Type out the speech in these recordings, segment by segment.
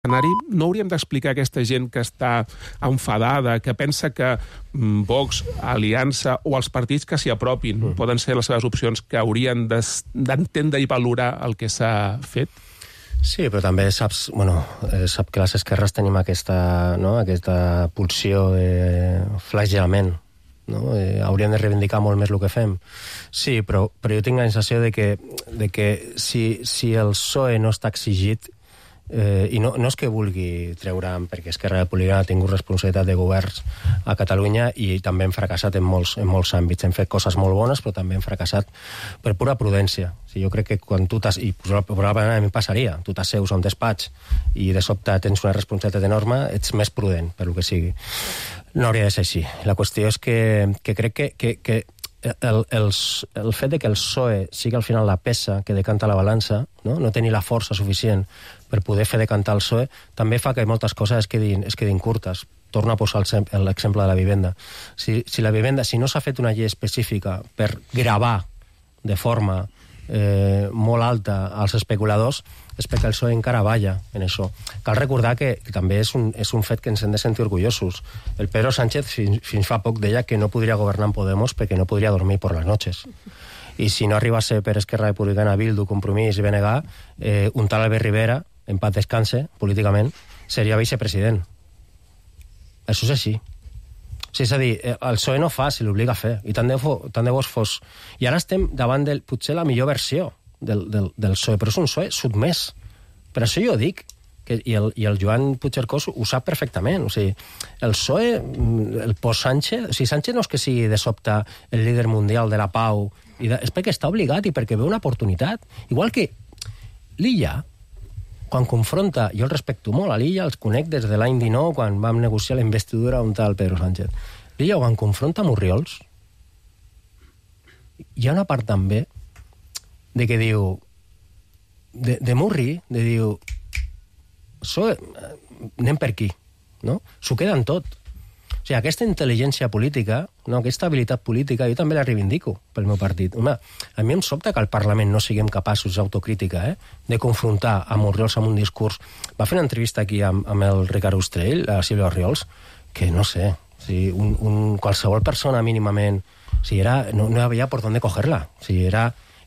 No hauríem d'explicar a aquesta gent que està enfadada, que pensa que Vox, Aliança o els partits que s'hi apropin poden ser les seves opcions, que haurien d'entendre i valorar el que s'ha fet? Sí, però també sap que les esquerres tenim aquesta pulsió de flagellament. No? Hauríem de reivindicar molt més el que fem. Sí, però jo tinc la sensació de que si el PSOE no està exigit, i no és que vulgui treure'm, perquè Esquerra Republicana ha tingut responsabilitat de governs a Catalunya i també hem fracassat en molts àmbits. Hem fet coses molt bones, però també hem fracassat per pura prudència. Jo crec que quan tu i probablement a mi passaria, tu t'asseus a un despatx i de sobte tens una responsabilitat enorme, ets més prudent, per lo que sigui. No hauria de ser així. La qüestió és que crec que el fet de que el PSOE sigui al final la peça que decanta la balança, no tenir la força suficient per poder fer decantar el PSOE, també fa que moltes coses es quedin curtes. Torno a posar l'exemple de la vivenda. Si la vivenda, si no s'ha fet una llei específica per gravar de forma molt alta als especuladors, és perquè el PSOE encara balla en això. Cal recordar que també és un fet que ens hem de sentir orgullosos. El Pedro Sánchez fins fa poc deia que no podria governar en Podemos perquè no podria dormir por las noches. I si no arribase per Esquerra Republicana, Bildu, Compromís i BNG, un tal Albert Rivera, en paz descanse, políticament, seria vicepresident. Això és així. És a dir, el PSOE no fa si l'obliga a fer, i tant de bo fos. I ara estem davant potser la millor versió del PSOE, però és un PSOE sotmès. Per això jo dic, i el Joan Puigcercós ho sap perfectament, o sigui, el PSOE, el post-Sánchez, o sigui, Sánchez no és que sigui de sobte el líder mundial de la pau, és perquè està obligat i perquè veu una oportunitat. Igual que l'Illa, quan confronta, jo el respecto molt a l'Illa, els conec des de l'any 19, quan vam negociar la investidura un tal Pedro Sánchez. L'Illa, quan confronta amb Orriols, hi ha una part també de que diu, de Murri, de diu, anem per aquí, no? S'ho queden tot. O sigui, aquesta intel·ligència política, aquesta habilitat política, jo també la reivindico pel meu partit. Home, a mi em sobta que al Parlament no siguem capaços d'autocrítica, de confrontar amb Orriols amb un discurs. Va fer una entrevista aquí amb el Ricard Ostrell, a Sílvia Orriols, que no sé, qualsevol persona mínimament, no hi havia per on coger-la.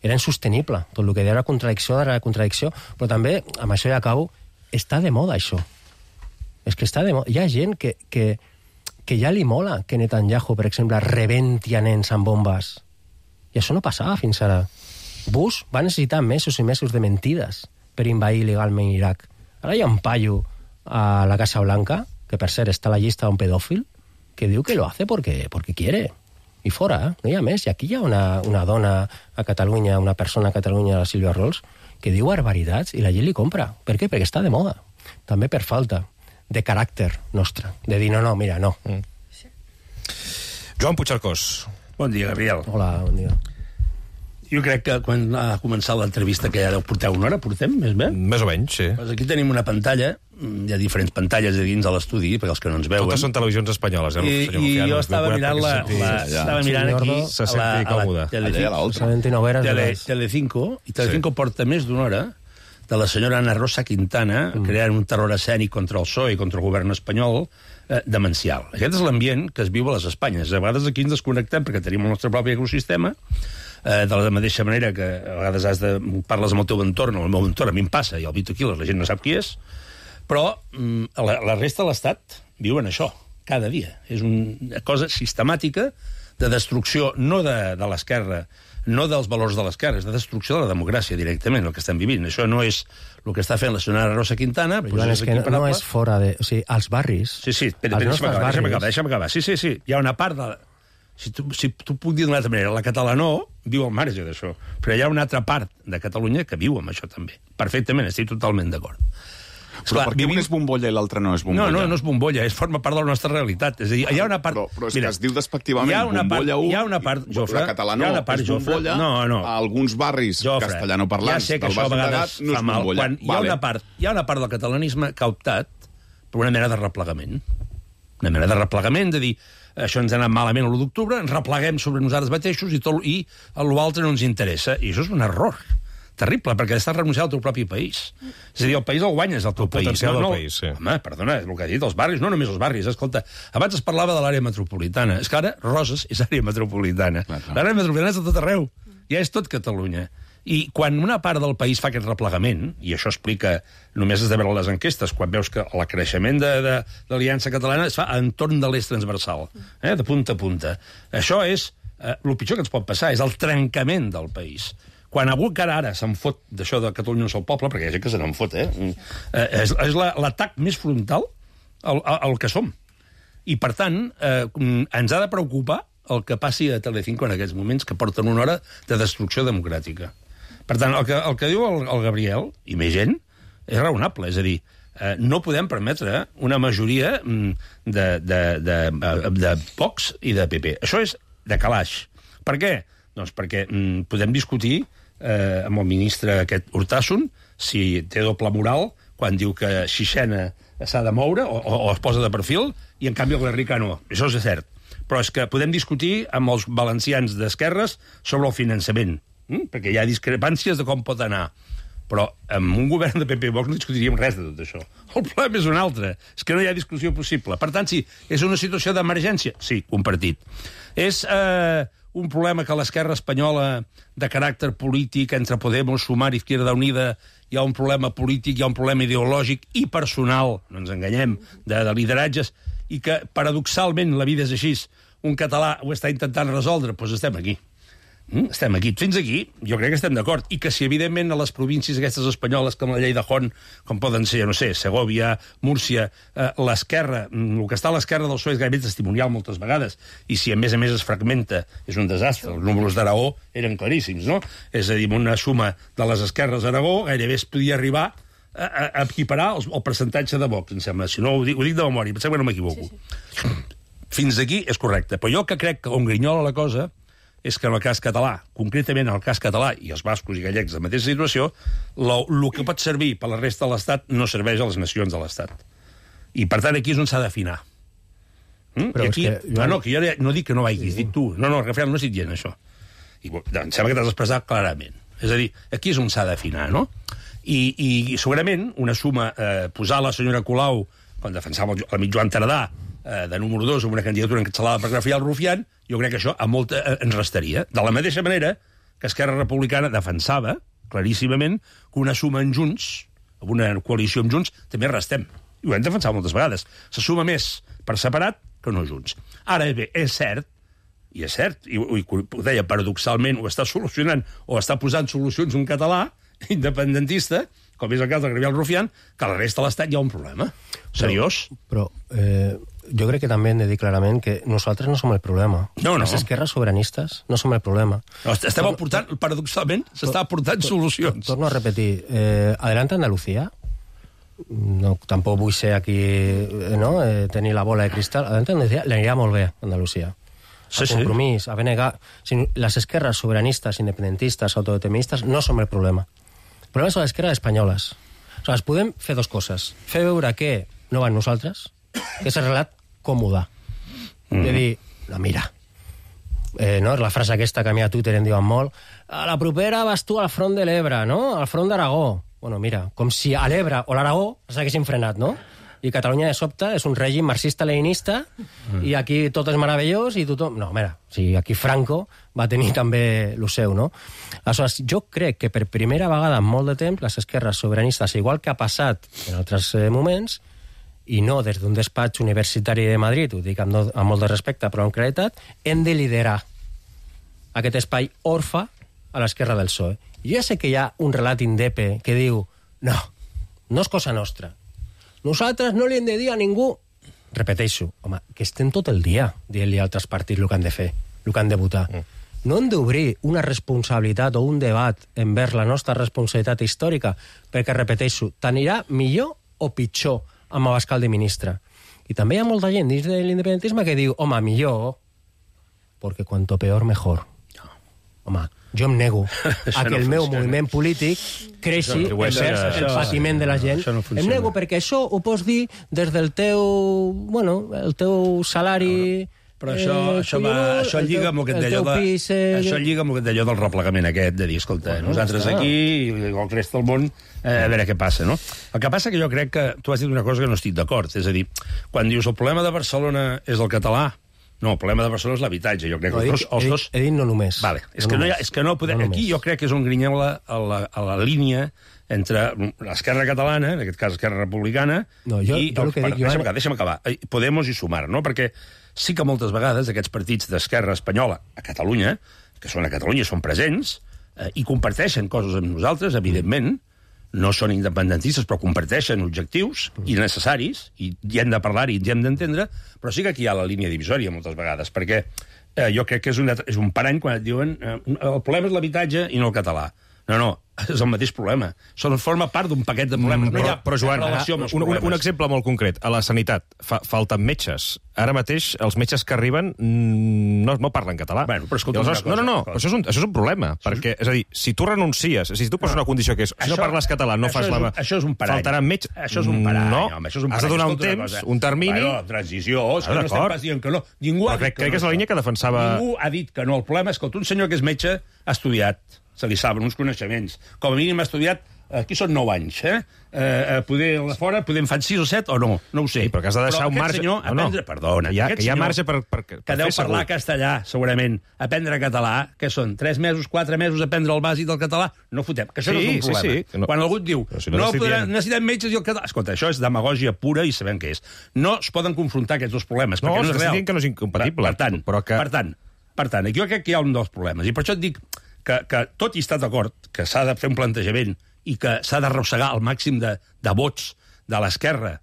Era insostenible. Tot el que deia era contradicció, però també, amb això ja acabo, està de moda això. És que està de moda. Hi ha gent que ja li mola que Netanyahu, per exemple, rebenti a nens amb bombes. I això no passava fins ara. Bush va necessitar mesos i mesos de mentides per invadir il·legalment Iraq. Ara hi ha un paio a la Casa Blanca, que per cert està a la llista d'un pedòfil, que diu que lo hace porque quiere. I fora, no hi ha més. I aquí hi ha una dona a Catalunya, una persona a Catalunya, la Sílvia Orriols, que diu barbaritats i la gent li compra. Per què? Perquè està de moda. També per falta de caràcter nostre, de dir no, mira, no. Joan Puigcercós. Bon dia, Gabriel. Hola, bon dia. Jo crec que quan ha començat l'entrevista, que ja deu portar una hora, portem, més bé? Més o menys, sí. Pues aquí tenim una pantalla, hi ha diferents pantalles a dins de l'estudi, perquè els que no ens veuen. Totes són televisions espanyoles, senyor I jo estava mirant aquí se senti còmode. Telecinco, i Telecinco porta més d'una hora de la senyora Ana Rosa Quintana creant un terror escènic contra el PSOE i contra el govern espanyol demencial. Aquest és l'ambient que es viu a les Espanyes. A vegades aquí ens desconnectem perquè tenim el nostre propi ecosistema, de la mateixa manera que a vegades parles amb el teu entorn, o el meu entorn, a mi em passa, i el Vito Quiles, la gent no sap qui és, però la resta de l'Estat viuen això, cada dia. És una cosa sistemàtica de destrucció, no de l'esquerra, no dels valors de l'esquerra, és de destrucció de la democràcia directament, el que estem vivint. Això no és el que està fent la senyora Rosa Quintana, però és que no és fora de... O sigui, als barris... Sí, deixa'm acabar. Sí, hi ha una part de... Si tu puc dir d'una altra manera, la catalanó viu al marge d'això, però hi ha una altra part de Catalunya que viu amb això també. Perfectament, estic totalment d'acord. Però per què un és bombolla i l'altre no és bombolla? No és bombolla, forma part de la nostra realitat. És a dir, hi ha una part... Però és que es diu despectivament bombolla 1... Hi ha una part, Jofre... La catalanó és bombolla, a alguns barris castellanoparlants del Baix Llobregat no és bombolla. Hi ha una part del catalanisme que ha optat per una mena de replegament. Una mena de replegament, de dir, això ens ha anat malament l'1 d'octubre, ens repleguem sobre nosaltres mateixos i l'altre no ens interessa. I això és un error terrible, perquè estàs renunciant al teu propi país. És a dir, el país el guanyes, el teu país. El potencial del país, sí. Home, perdona, és el que ha dit, els barris, no només els barris. Escolta, abans es parlava de l'àrea metropolitana. És que ara Roses és àrea metropolitana. L'àrea metropolitana és de tot arreu. Ja és tot Catalunya. I quan una part del país fa aquest replegament, i això explica, només has de veure les enquestes, quan veus que el creixement de l'Aliança Catalana es fa a entorn de l'eix transversal, de punta a punta. Això és el pitjor que ens pot passar, és el trencament del país. Quan algú encara ara se'n fot d'això de Catalunya no és el poble, perquè hi ha gent que se n'en fot, és l'atac més frontal al que som. I, per tant, ens ha de preocupar el que passi a Telecinco en aquests moments, que porten una hora de destrucció democràtica. Per tant, el que diu el Gabriel, i més gent, és raonable. És a dir, no podem permetre una majoria de Vox i de PP. Això és de calaix. Per què? Doncs perquè podem discutir amb el ministre aquest Urtasun si té doble moral quan diu que Xixena s'ha de moure o es posa de perfil i, en canvi, el Garriga no. Això és cert. Però és que podem discutir amb els valencians d'esquerres sobre el finançament, perquè hi ha discrepàncies de com pot anar. Però amb un govern de PP i Vox no discutiríem res de tot això. El problema és un altre, és que no hi ha discussió possible. Per tant, sí, és una situació d'emergència? Sí, compartit. És un problema que l'esquerra espanyola de caràcter polític entre Podemos, Sumar i Izquierda Unida hi ha un problema polític, hi ha un problema ideològic i personal, no ens enganyem, de lideratges, i que, paradoxalment, la vida és així, un català ho està intentant resoldre, doncs estem aquí. Estem aquí. Fins aquí, jo crec que estem d'acord. I que si, evidentment, a les províncies aquestes espanyoles, com la llei de Hon, com poden ser, no sé, Segovia, Múrcia, l'esquerra, el que està a l'esquerra del PSOE és gairebé testimonial moltes vegades, i si a més es fragmenta, és un desastre. Els números d'Aragó eren claríssims, no? És a dir, una suma de les esquerres d'Aragó gairebé es podia arribar a equiparar el percentatge de Vox, em sembla. Si no, ho dic de memòria, pensem que no m'equivoco. Sí. Fins aquí és correcte. Però jo que crec que on grinyola la cosa és que en el cas català, concretament en el cas català, i els bascos i gallecs de la mateixa situació, el que pot servir per la resta de l'Estat no serveix a les nacions de l'Estat. I, per tant, aquí és on s'ha d'afinar. Però aquí, és que... No, que jo no dic que no vagis, dic tu. No, Rafael, no estic dient això. I em sembla que t'has expressat clarament. És a dir, aquí és on s'ha d'afinar, no? I segurament una suma, posar la senyora Colau, quan defensava l'amic Joan Tardà, de número 2 amb una candidatura encapçalada per Rafael Rufián, jo crec que això a molta ens restaria. De la mateixa manera que Esquerra Republicana defensava, claríssimament, que una suma en Junts, amb una coalició amb Junts, també restem. I ho hem defensat moltes vegades. Se suma més per separat que no Junts. Ara bé, és cert, i ho deia paradoxalment, ho està solucionant o està posant solucions un català independentista, com és el cas de Gabriel Rufián, que a la resta de l'Estat hi ha un problema. Seriós? Però jo crec que també hem de dir clarament que nosaltres no som el problema. No. Les esquerres sobiranistes no som el problema. No, estem aportant, paradoxalment, s'està aportant solucions. Torno a repetir. Adelante Andalucía. No, tampoc vull ser aquí, no? Tenir la bola de cristal. Adelante Andalucía l'anirà molt bé, Andalucía. Sí, a Compromís, a BNG... Les esquerres sobiranistes, independentistes, autodeterministes, no som el problema. El problema són les esquerres espanyoles. Aleshores, podem fer dues coses. Fer veure que no van nosaltres, que és el relat còmode. De dir, no, mira, no? La frase aquesta que a mi a Twitter em diuen molt, a la propera vas tu al front de l'Ebre, no? Al front d'Aragó. Bueno, mira, com si a l'Ebre o l'Aragó s'haguessin frenat, no? I Catalunya de sobte és un règim marxista-leninista i aquí tot és meravellós i tothom... No, mira, si aquí Franco va tenir també el seu, no? Aleshores, jo crec que per primera vegada en molt de temps les esquerres sobiranistes, igual que ha passat en altres moments, i no des d'un despatx universitari de Madrid, ho dic amb molt de respecte, però amb claretat, hem de liderar aquest espai orfe a l'esquerra del PSOE. Jo ja sé que hi ha un relat indepe que diu no és cosa nostra. Nosaltres no li hem de dir a ningú... Repeteixo, home, que estem tot el dia dient-li a altres partits el que han de fer, el que han de votar. No hem d'obrir una responsabilitat o un debat envers la nostra responsabilitat històrica, perquè, repeteixo, t'anirà millor o pitjor amb Abascal de ministre. I també hi ha molta gent dins de l'independentisme que diu, home, millor, perquè cuanto peor, mejor. Home, jo em nego a que el meu moviment polític creixi envers el patiment de la gent. Em nego perquè això ho pots dir des del teu, el teu salari Però això lliga amb el que et deia del replegament aquest, de dir, escolta, nosaltres aquí i el rest del món, a veure què passa, no? El que passa que jo crec que tu has dit una cosa que no estic d'acord, és a dir, quan dius el problema de Barcelona és el català, no, el problema de Barcelona és l'habitatge, jo crec que els dos... He dit no només. Vale, és que no podem... Aquí jo crec que és un grinyola a la línia entre l'esquerra catalana, en aquest cas esquerra republicana, i... Deixa'm acabar. Podemos i Sumar, no? Perquè sí que moltes vegades aquests partits d'esquerra espanyola a Catalunya, que són a Catalunya, són presents, i comparteixen coses amb nosaltres, evidentment, no són independentistes, però comparteixen objectius i necessaris, i hem de parlar-hi, i hem d'entendre, però sí que aquí hi ha la línia divisòria moltes vegades, perquè jo crec que és un parany quan et diuen el problema és l'habitatge i no el català. No, és el mateix problema. Forma part d'un paquet de problemes. Però Joan, un exemple molt concret. A la sanitat falten metges. Ara mateix els metges que arriben no parlen català. Bueno, però escolta una cosa. No, però això és un problema. Perquè, és a dir, si tu renuncies, si tu poses una condició que és si no parles català, no fas la... Això és un parany. Faltaran metges. Això és un parany. No, has de donar un temps, un termini... Bueno, transició, és que no estem pas dient que no. Crec que és la línia que defensava... Ningú ha dit que no. El problema és que un senyor que és metge ha estudiat, se li saben uns coneixements. Com a mínim ha estudiat, aquí són 9 anys, poder a fora, en fan 6 o 7 o no, no ho sé. Sí, però que has de deixar un marge... Perdona, que hi ha marge per que deu parlar castellà, segurament, aprendre català, que són 3 mesos, 4 mesos, aprendre el bàsic del català, no fotem, que això no és un problema. Sí. Quan algú et diu, necessitem metges i el català... Escolta, això és demagògia pura i sabem què és. No es poden confrontar aquests dos problemes, perquè no és real. Que no és incompatible. Per tant, aquí jo crec que hi ha un dels problemes, i per això et dic que tot i estar d'acord que s'ha de fer un plantejament i que s'ha d'arrossegar el màxim de vots de l'esquerra,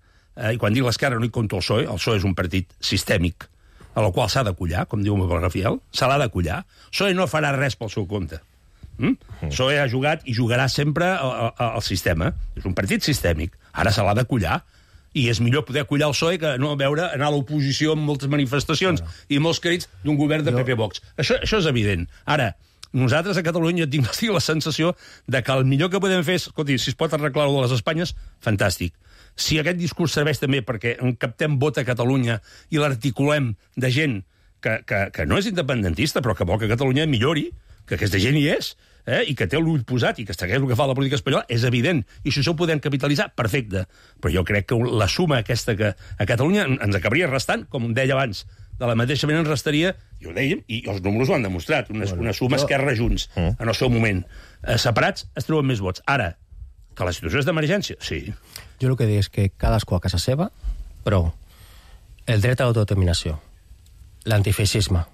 i quan dic l'esquerra no hi compto el PSOE és un partit sistèmic, a la qual s'ha d'acollar, com diu el Rafael, se l'ha d'acollar. PSOE no farà res pel seu compte. PSOE ha jugat i jugarà sempre al sistema. És un partit sistèmic. Ara se l'ha d'acollar, i és millor poder acollar el PSOE que no veure anar a l'oposició en moltes manifestacions i molts crits d'un govern de PP-Vox. Això és evident. Ara, nosaltres a Catalunya tinc la sensació de que el millor que podem fer és, escolti, si es pot arreglar de les Espanyes, fantàstic. Si aquest discurs serveix també perquè captem vot a Catalunya i l'articulem de gent que no és independentista, però que vol que Catalunya millori, que aquesta gent hi és, i que té l'ull posat i que segueix el que fa la política espanyola, és evident. I si això ho podem capitalitzar, perfecte. Però jo crec que la suma aquesta que a Catalunya ens acabaria restant, com deia abans, de la mateixa manera ens restaria, i ho dèiem, i els números ho han demostrat, una suma Esquerra Junts, en el seu moment. Separats es treuen més vots. Ara, que la situació és d'emergència, sí. Jo el que dic és que cadascú a casa seva, però el dret a l'autodeterminació, l'antifeixisme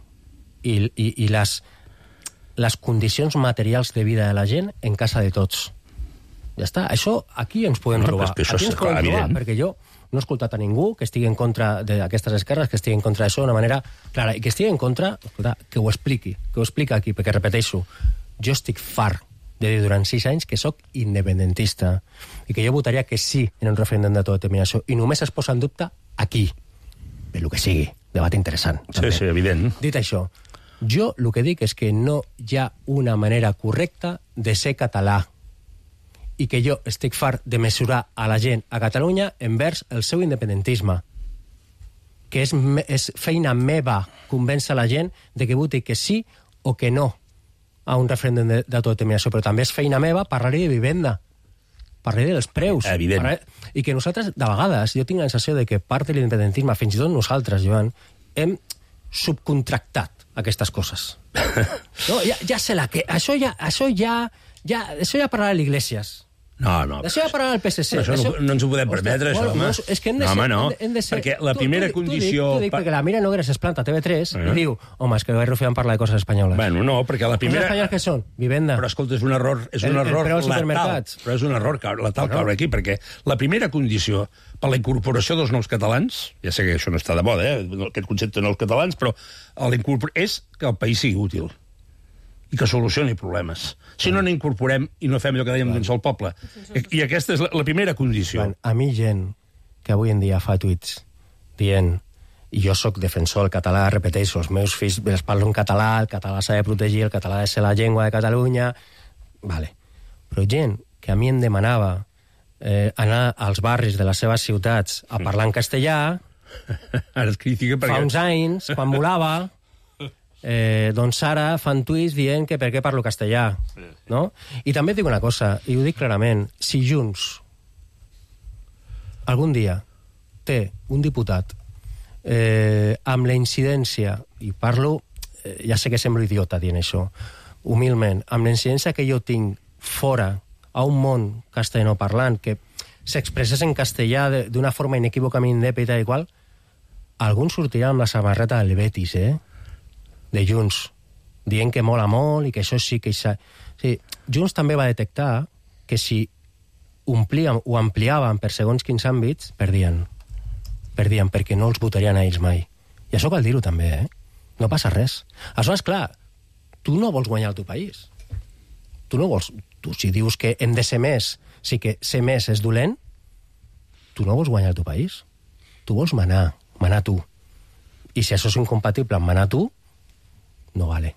i les condicions materials de vida de la gent en casa de tots. Ja està. Això aquí ens podem trobar. Aquí ens podem trobar, perquè jo no he escoltat a ningú que estigui en contra d'aquestes esquerres, que estigui en contra d'això d'una manera clara, i que estigui en contra, escolta, que ho expliqui aquí, perquè repeteixo, jo estic fart de dir durant 6 anys que sóc independentista i que jo votaria que sí en un referèndum d'autodeterminació, i només es posa en dubte aquí, per lo que sigui, debat interessant. Sí, evident. Dit això, jo el que dic és que no hi ha una manera correcta de ser català, i que jo estic fart de mesurar a la gent a Catalunya envers el seu independentisme, que és feina meva convèncer la gent de que voti que sí o que no a un referèndum d'autodeterminació, però també és feina meva parlar-hi de vivenda, parlar-hi dels preus. Evident. I que nosaltres, de vegades, jo tinc la sensació de que part de l'independentisme, fins i tot nosaltres, Joan, hem subcontractat aquestes coses. No, ja sé la que... Això ja parlarà l'Iglesias. No. Això ja parlarà el PSC. Però això no ens ho podem permetre, això, home. És que hem de ser... Perquè la primera condició... T'ho dic perquè la Mira Nogueras es planta a TV3 i diu, home, és que el Rufián parla de coses espanyoles. Bueno, no, perquè la primera... Coses espanyoles que són? Vivenda. Però, escolta, és un error letal. Però és un error letal caure aquí, perquè la primera condició per la incorporació dels nous catalans, ja sé que això no està de moda, aquest concepte de nous catalans, però és que el país sigui útil i que solucioni problemes. Si no n'incorporem i no fem allò que dèiem d'un sol poble. I aquesta és la primera condició. A mi gent que avui en dia fa tuits dient, i jo sóc defensor del català, repeteixo, els meus fills els parlo en català, el català s'ha de protegir, el català ha de ser la llengua de Catalunya... Vale. Però gent que a mi em demanava anar als barris de les seves ciutats a parlar en castellà, Ara es critica perquè... Fa uns anys, quan volava, doncs ara fan tuits dient que per què parlo castellà, no? I també et dic una cosa, i ho dic clarament, si Junts algun dia té un diputat amb la incidència, i parlo, ja sé que semblo idiota dient això, humilment, amb la incidència que jo tinc fora, a un món castellanoparlant, que s'expressés en castellà d'una forma inequívocament indèpita i qual, algun sortirà amb la samarreta del Betis, de Junts, dient que mola molt i que això sí que... Sí, Junts també va detectar que si omplíem o ampliàvem per segons quins àmbits, perdien, perquè no els votarien a ells mai. I això cal dir-ho també, No passa res. Aleshores, clar, tu no vols guanyar el teu país. Tu no vols... Tu, si dius que hem de ser més, sí que ser més és dolent, tu no vols guanyar el teu país. Tu vols manar tu. I si això és incompatible amb manar tu, no vale.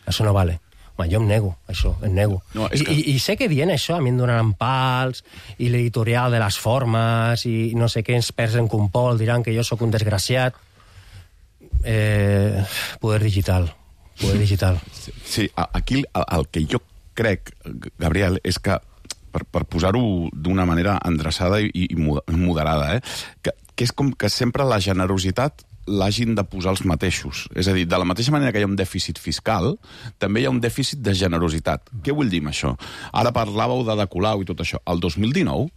Això no vale. Home, jo em nego, això, em nego. No, I sé que dient això a mi em donaran pals, i l'editorial de les formes, i no sé què, ens perds en compol, diran que jo sóc un desgraciat. Poder digital. Sí, aquí el que jo crec, Gabriel, és que, per posar-ho d'una manera endreçada i moderada, que és com que sempre la generositat l'hagin de posar els mateixos. És a dir, de la mateixa manera que hi ha un dèficit fiscal, també hi ha un dèficit de generositat. Què vull dir amb això? Ara parlàveu de Colau i tot això. El 2019,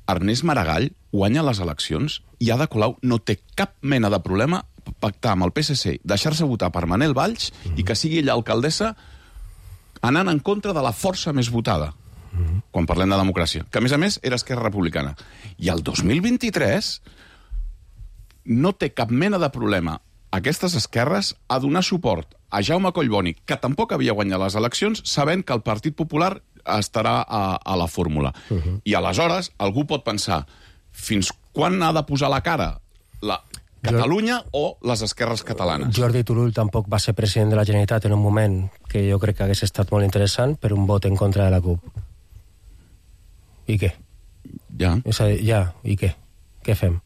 Ernest Maragall guanya les eleccions i Ada Colau no té cap mena de problema pactar amb el PSC, deixar-se votar per Manel Valls i que sigui ella alcaldessa anant en contra de la força més votada, quan parlem de democràcia, que a més era Esquerra Republicana. I el 2023 no té cap mena de problema aquestes esquerres a donar suport a Jaume Collboni, que tampoc havia guanyat les eleccions, sabent que el Partit Popular estarà a la fórmula. I aleshores algú pot pensar, fins quan ha de posar la cara la Catalunya o les esquerres catalanes? Jordi Turull tampoc va ser president de la Generalitat en un moment que jo crec que hagués estat molt interessant per un vot en contra de la CUP. I què? Ja. És a dir, i què? Què fem?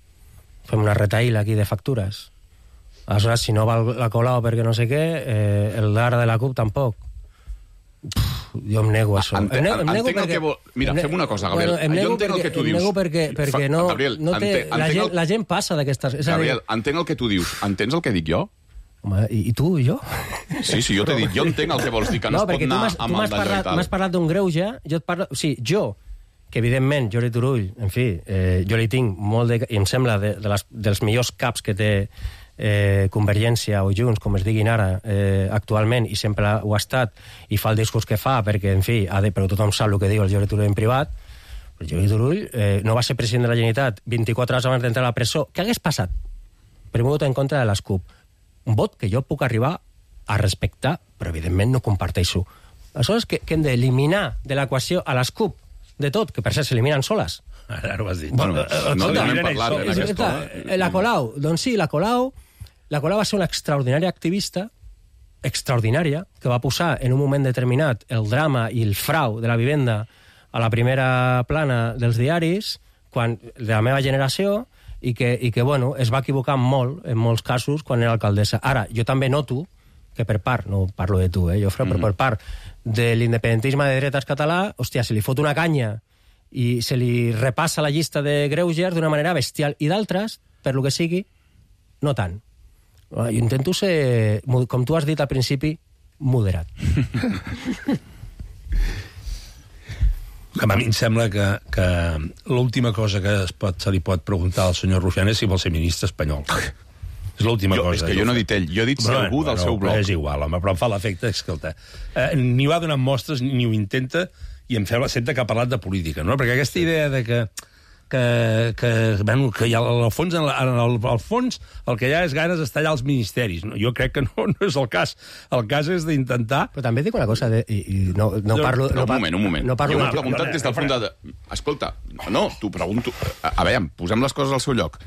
Fem una retaïla aquí de factures? Aleshores, si no va la Colau perquè no sé què, el d'ara de la CUP tampoc. Jo em nego a això. Mira, fem una cosa, Gabriel. Jo entenc el que tu dius. Em nego perquè no té... La gent passa d'aquestes... Gabriel, entenc el que tu dius. Entens el que dic jo? Home, i tu i jo? Sí, jo t'he dit, jo entenc el que vols dir, que no es pot anar amb el d'allò i tal. M'has parlat d'un greuge, jo et parlo... O sigui, jo, que evidentment, Jordi Turull, en fi, jo li tinc molt de... I em sembla dels millors caps que té Convergència o Junts, com es diguin ara, actualment, i sempre ho ha estat, i fa el discurs que fa, perquè, en fi, però tothom sap el que diu el Jordi Turull en privat. El Jordi Turull no va ser president de la Generalitat 24 hores abans d'entrar a la presó. Què hagués passat? Per un vot en contra de les CUP. Un vot que jo puc arribar a respectar, però evidentment no comparteixo. Aleshores, que hem d'eliminar de l'equació a les CUP de tot, que per cert s'eliminen soles. Ara ho has dit. Bueno, no n'hem parlat en aquesta... La Colau, doncs sí, la Colau va ser una extraordinària activista, extraordinària, que va posar en un moment determinat el drama i el frau de la vivenda a la primera plana dels diaris, de la meva generació, i que bueno, es va equivocar molt, en molts casos, quan era alcaldessa. Ara, jo també noto que per part, no parlo de tu, Jofre, però per part de l'independentisme de dretes català, hòstia, se li fot una canya i se li repassa la llista de greuges d'una manera bestial, i d'altres, per lo que sigui, no tant. Jo intento ser, com tu has dit al principi, moderat. A mi em sembla que l'última cosa que se li pot preguntar al senyor Rufián és si vol ser ministre espanyol. És l'última cosa. És que jo no he dit ell, jo he dit si algú del seu bloc. És igual, home, però em fa l'efecte, escolta, ni va donant mostres, ni ho intenta, i em fa l'efecte que ha parlat de política, no? Perquè aquesta idea de que hi ha, al fons el que hi ha és ganes d'estar allà als ministeris. Jo crec que no és el cas. El cas és d'intentar... Però també dic una cosa, no parlo... Un moment. Jo m'he preguntat des del fons de... Escolta, no, t'ho pregunto... A veure, posem les coses al seu lloc.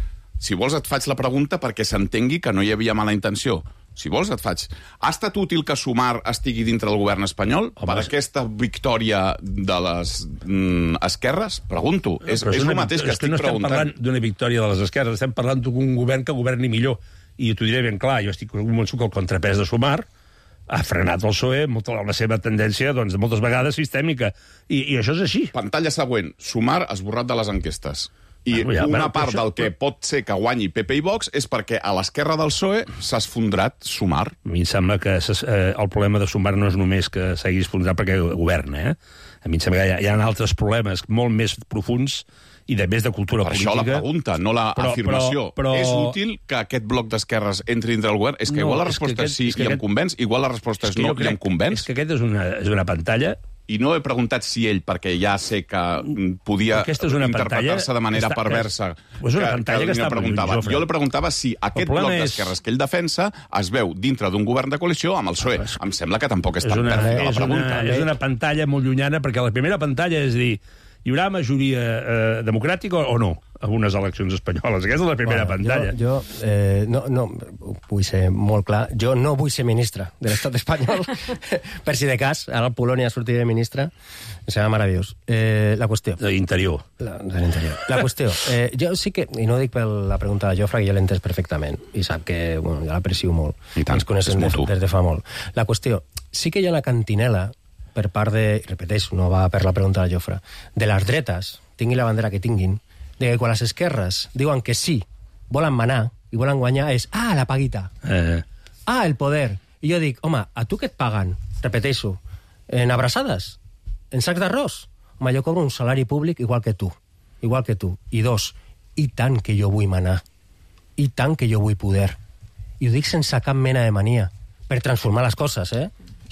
Si vols et faig la pregunta perquè s'entengui que no hi havia mala intenció. Si vols et faig. Ha estat útil que Sumar estigui dintre del govern espanyol per aquesta victòria de les esquerres? Pregunto. És el mateix que estic preguntant. No estem parlant d'una victòria de les esquerres, estem parlant d'un govern que governi millor. I t'ho diré ben clar, jo estic convençut que el contrapès de Sumar ha frenat el PSOE amb la seva tendència, doncs, moltes vegades sistèmica. I això és així. Pantalla següent. Sumar esborrat de les enquestes. I una part del que pot ser que guanyi PP i Vox és perquè a l'esquerra del PSOE s'ha esfondrat Sumar. A mi em sembla que el problema de Sumar no és només que s'hagi esfondrat perquè governa, A mi em sembla que hi ha altres problemes molt més profuns i de més de cultura política. Per això la pregunta, no l'afirmació. És útil que aquest bloc d'esquerres entri dintre del govern? És que igual la resposta és sí i em convenç, igual la resposta és no i em convenç. És que aquest és una pantalla... I no he preguntat si ell, perquè ja sé que podia interpretar-se de manera perversa. És una pantalla que està preguntava. Jo li preguntava si aquest bloc d'esquerres que ell defensa es veu dintre d'un govern de coalició amb el PSOE. Em sembla que tampoc és tan perfecta la pregunta. És una pantalla molt llunyana, perquè la primera pantalla és dir, hi haurà majoria democràtica o no a unes eleccions espanyoles? Aquesta és la primera pantalla. Jo no vull ser molt clar. Jo no vull ser ministre de l'estat espanyol, per si de cas, ara el Polònia sortirà ministre, serà meravellós. La qüestió... De l'interior. De l'interior. La qüestió, jo sí que, i no ho dic per la pregunta de Jofre, que jo l'he entès perfectament, i sap que, bueno, jo l'aprecio molt. I tant, ens coneixem des de fa molt. La qüestió, sí que hi ha una cantinela per part de, repeteixo, no va per la pregunta de Jofre, de les dretes, tinguin la bandera que tinguin, de que quan les esquerres diuen que sí, volen manar i volen guanyar, és, la paguita. El poder. I jo dic, home, a tu què et paguen? Repeteixo, en abraçades? En sacs d'arròs? Home, jo cobro un salari públic igual que tu. Igual que tu. I dos, i tant que jo vull manar. I tant que jo vull poder. I ho dic sense cap mena de mania. Per transformar les coses,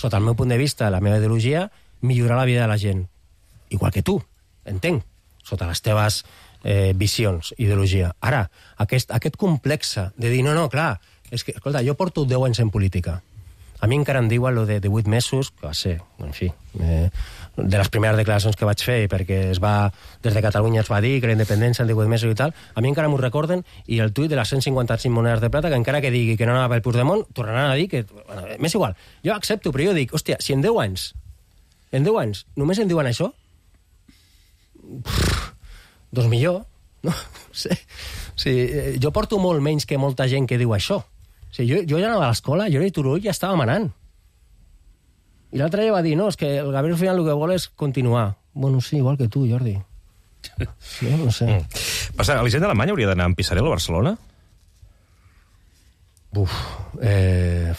Sota el meu punt de vista, la meva ideologia, millorar la vida de la gent. Igual que tu, entenc. Sota les teves visions, ideologia. Ara, aquest complexe de dir, no, clar, és que, escolta, jo porto 10 anys en política. A mi encara em diuen lo de 8 mesos, que va ser, en fi, de les primeres declaracions que vaig fer, perquè des de Catalunya es va dir que la independència en 18 mesos i tal, a mi encara m'ho recorden, i el tuit de les 155 monedes de plata, que encara que digui que no anava pel Puigdemont, tornaran a dir que... Bueno, m'és igual. Jo accepto, però jo dic, hòstia, si en 10 anys només em diuen això, doncs millor, no? Jo porto molt menys que molta gent que diu això. Jo ja anava a l'escola, jo era i Turull ja estava manant. I l'altre ja va dir, no, és que el Gabriel al final el que vol és continuar. Bueno, sí, igual que tu, Jordi. Sí, no sé. Passa, Elisenda Alemanya hauria d'anar amb Pisarello a Barcelona?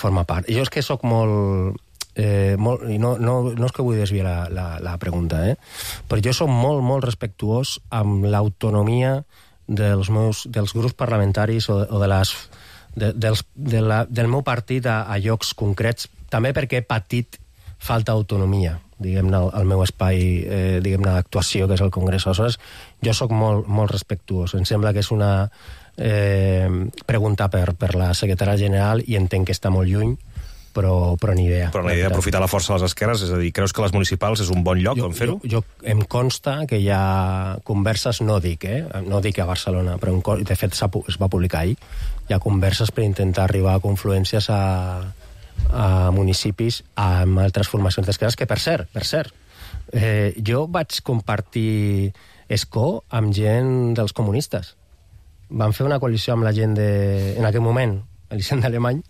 Forma part. Jo és que sóc molt i no és que vull desviar la pregunta, però jo soc molt respectuós amb l'autonomia dels grups parlamentaris o del meu partit a llocs concrets, també perquè he patit falta d'autonomia, diguem-ne, al meu espai diguem-ne d'actuació, que és el Congrés. Aleshores, jo sóc molt respectuós. Em sembla que és una pregunta per la secretària general i entenc que està molt lluny, però ni idea. Però la idea d'aprofitar la força de les esquerres, és a dir, creus que les municipals és un bon lloc on fer-ho? Em consta que hi ha converses, no dic a Barcelona, però de fet es va publicar ahir, hi ha converses per intentar arribar a confluències a municipis amb altres formacions d'esquerres, que per cert, jo vaig compartir escó amb gent dels comunistes. Van fer una coalició amb la gent en aquell moment, Elisenda Alemany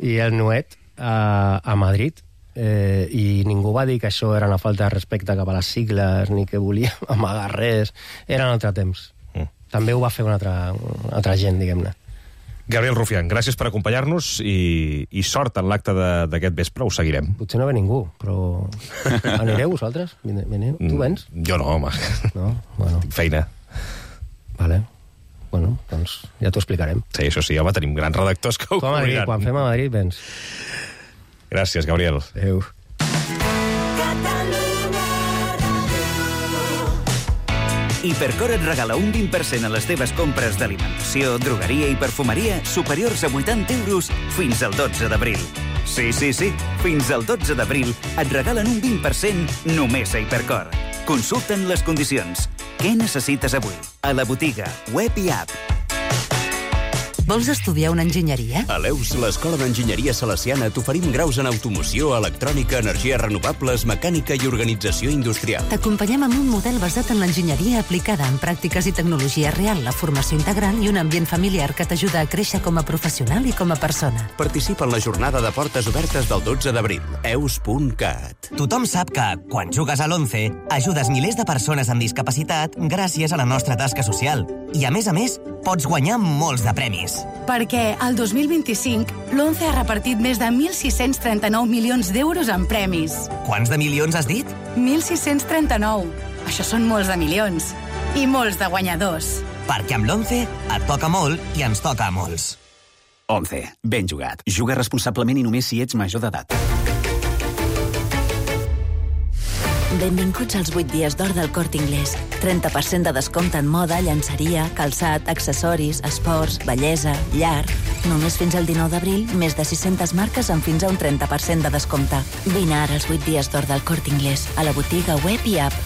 i el Nuet, a Madrid, i ningú va dir que això era una falta de respecte cap a les sigles ni que volia amagar res. Era un altre temps. També ho va fer una altra gent, diguem-ne. Gabriel Rufián, gràcies per acompanyar-nos i sort en l'acte d'aquest vespre, ho seguirem. Potser no ve ningú, però... Anireu vosaltres? Veniu? Tu vens? Jo no, home. No? Bueno. Feina. Vale. Bueno, doncs ja t'ho explicarem. Sí, això sí, home, tenim grans redactors que ho cobriran. Quan fem a Madrid, vens. Gràcies, Gabriel. Adéu. Hipercor et regala un 20% a les teves compres d'alimentació, drogueria i perfumeria superiors a 80 euros fins al 12 d'abril. Sí, fins al 12 d'abril et regalen un 20% només a Hipercor. Consulta'n les condicions. Què necessites avui? A la botiga, web i app. Vols estudiar una enginyeria? A l'EUS, l'Escola d'Enginyeria Salesiana, t'oferim graus en automoció, electrònica, energies renovables, mecànica i organització industrial. T'acompanyem amb un model basat en l'enginyeria aplicada en pràctiques i tecnologia real, la formació integral i un ambient familiar que t'ajuda a créixer com a professional i com a persona. Participa en la jornada de portes obertes del 12 d'abril. eus.cat. Tothom sap que, quan jugues a l'11, ajudes milers de persones amb discapacitat gràcies a la nostra tasca social. I, a més, pots guanyar molts de premis. Perquè el 2025 l'11 ha repartit més de 1.639 milions d'euros en premis. Quants de milions has dit? 1.639. Això són molts de milions. I molts de guanyadors. Perquè amb l'11 et toca molt i ens toca a molts. 11. Ben jugat. Juga responsablement i només si ets major d'edat. Benvinguts als 8 dies d'or del Corte Inglés. 30% de descompte en moda, llançeria, calçat, accessoris, esports, bellesa, llar. Només fins al 19 d'abril, més de 600 marques amb fins a un 30% de descompte. Vine ara als 8 dies d'or del Corte Inglés, a la botiga web i app.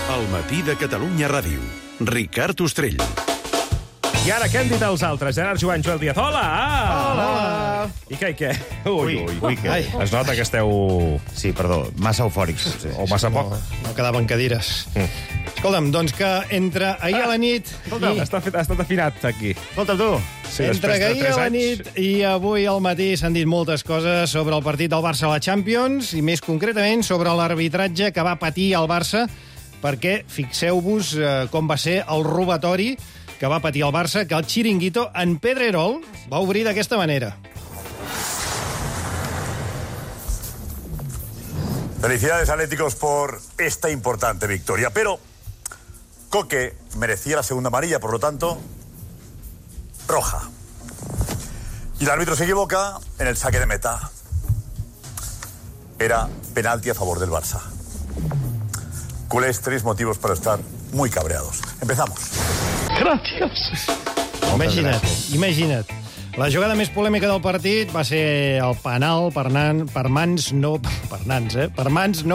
El matí de Catalunya Ràdio. Ricard Ostrell. I ara, què han dit els altres? Gerard Joan, Joel Díaz. Hola! Hola! I què? Ui, què? Ai. Es nota que esteu... Sí, perdó, massa eufòrics. O massa poc. No quedaven cadires. Escolta'm, doncs que entre ahir a la nit... Escolta'm, ha estat afinat aquí. Escolta, tu. Sí, entre ahir a la nit i avui al matí s'han dit moltes coses sobre el partit del Barça a la Champions i més concretament sobre l'arbitratge que va patir el Barça, perquè fixeu-vos com va ser el robatori que va patir el Barça, que el Chiringuito en Pedrerol va obrir d'aquesta manera. Felicidades, Atléticos, por esta importante victoria. Pero Coque merecía la segunda amarilla, por lo tanto, roja. Y el árbitro se equivoca en el saque de meta. Era penalti a favor del Barça. Culés, 3 motivos para estar muy cabreados. Empezamos. Gràcies. Imagina't. La jugada més polèmica del partit va ser el penal per mans no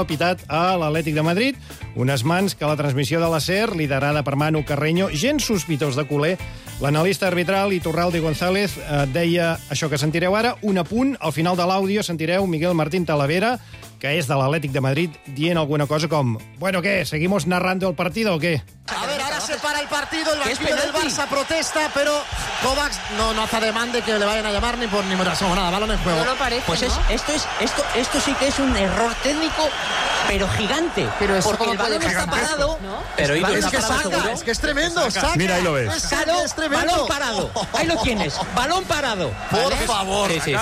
pitat a l'Atlètic de Madrid. Unes mans que a la transmissió de la SER, liderada per Manu Carreño, gens sospitós de culer, l'analista arbitral Iturralde González deia això que sentireu ara. Un apunt, al final de l'àudio sentireu Miguel Martín Talavera, que és de l'Atlètic de Madrid, dient alguna cosa com: bueno, ¿qué? ¿Seguimos narrando el partido o qué? A ver, ahora se para el partido, el banquillo del Barça protesta, pero Kovacs no hace demanda que le vayan a llamar ni por nada, balón en juego. No lo parece, pues ¿no? Esto sí que es un error técnico, pero gigante. Pero eso porque el balón está parado. ¿No? Pero es que saca, es que es tremendo, saca. Mira, ahí lo ves. Es tremendo. Balón parado, ahí lo tienes, balón parado. Por favor. Sí.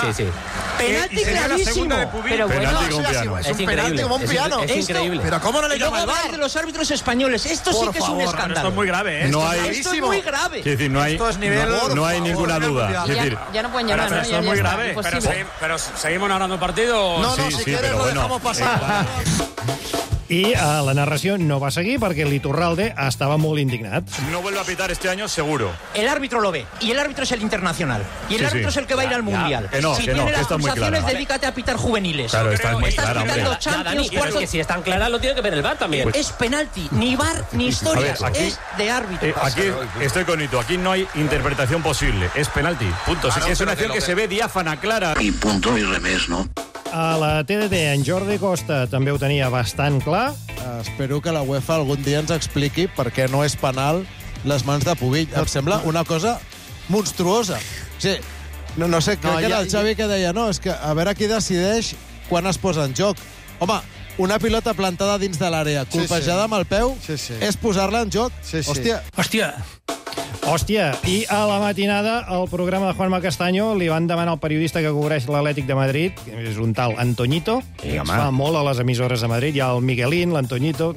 Penalti clarísimo. Pero bueno, es un penalti como un piano. Es increíble. Pero ¿cómo no le llama el VAR? De los árbitros españoles, esto sí que es un escándalo. Esto es muy grave, ¿eh? Esto es muy grave. Es decir, no hay ninguna duda. Ya no pueden llamar. Pero esto es muy grave. Pero seguimos narrando el partido. No, si quieres lo dejamos pasar. I la narració no va seguir perquè l'Iturralde estava molt indignat. No vuelve a pitar este año, seguro. El árbitro lo ve, y el árbitro es el internacional. Y el árbitro es el que va a ir al Mundial. Si tiene las está muy pulsaciones, clara. dedícate a pitar juveniles. Claro, está muy Estás clara, pitando hombre. Champions, Pero es que si están claras lo tiene que ver el VAR también. Es penalti, ni VAR ni historias, A ver, aquí- es de árbitro. Aquí estoy con Ito, aquí no hay interpretación posible. Es penalti, punto. Es una acción que se ve diáfana, clara. Y punto y remés, ¿no? A la TDT, en Jordi Costa també ho tenia bastant clar. Espero que la UEFA algun dia ens expliqui per què no és penal les mans de Pubill. Em sembla una cosa monstruosa. O sigui, no sé, crec que era el Xavi que deia no, és que a veure qui decideix quan es posa en joc. Home, una pilota plantada dins de l'àrea, colpejada amb el peu, és posar-la en joc. Hòstia, i a la matinada al programa de Juanma Castaño li van demanar al periodista que cobreix l'Atlètic de Madrid, que és un tal Antoñito, que es fa molt a les emissores de Madrid, hi ha el Miguelín, l'Antoñito...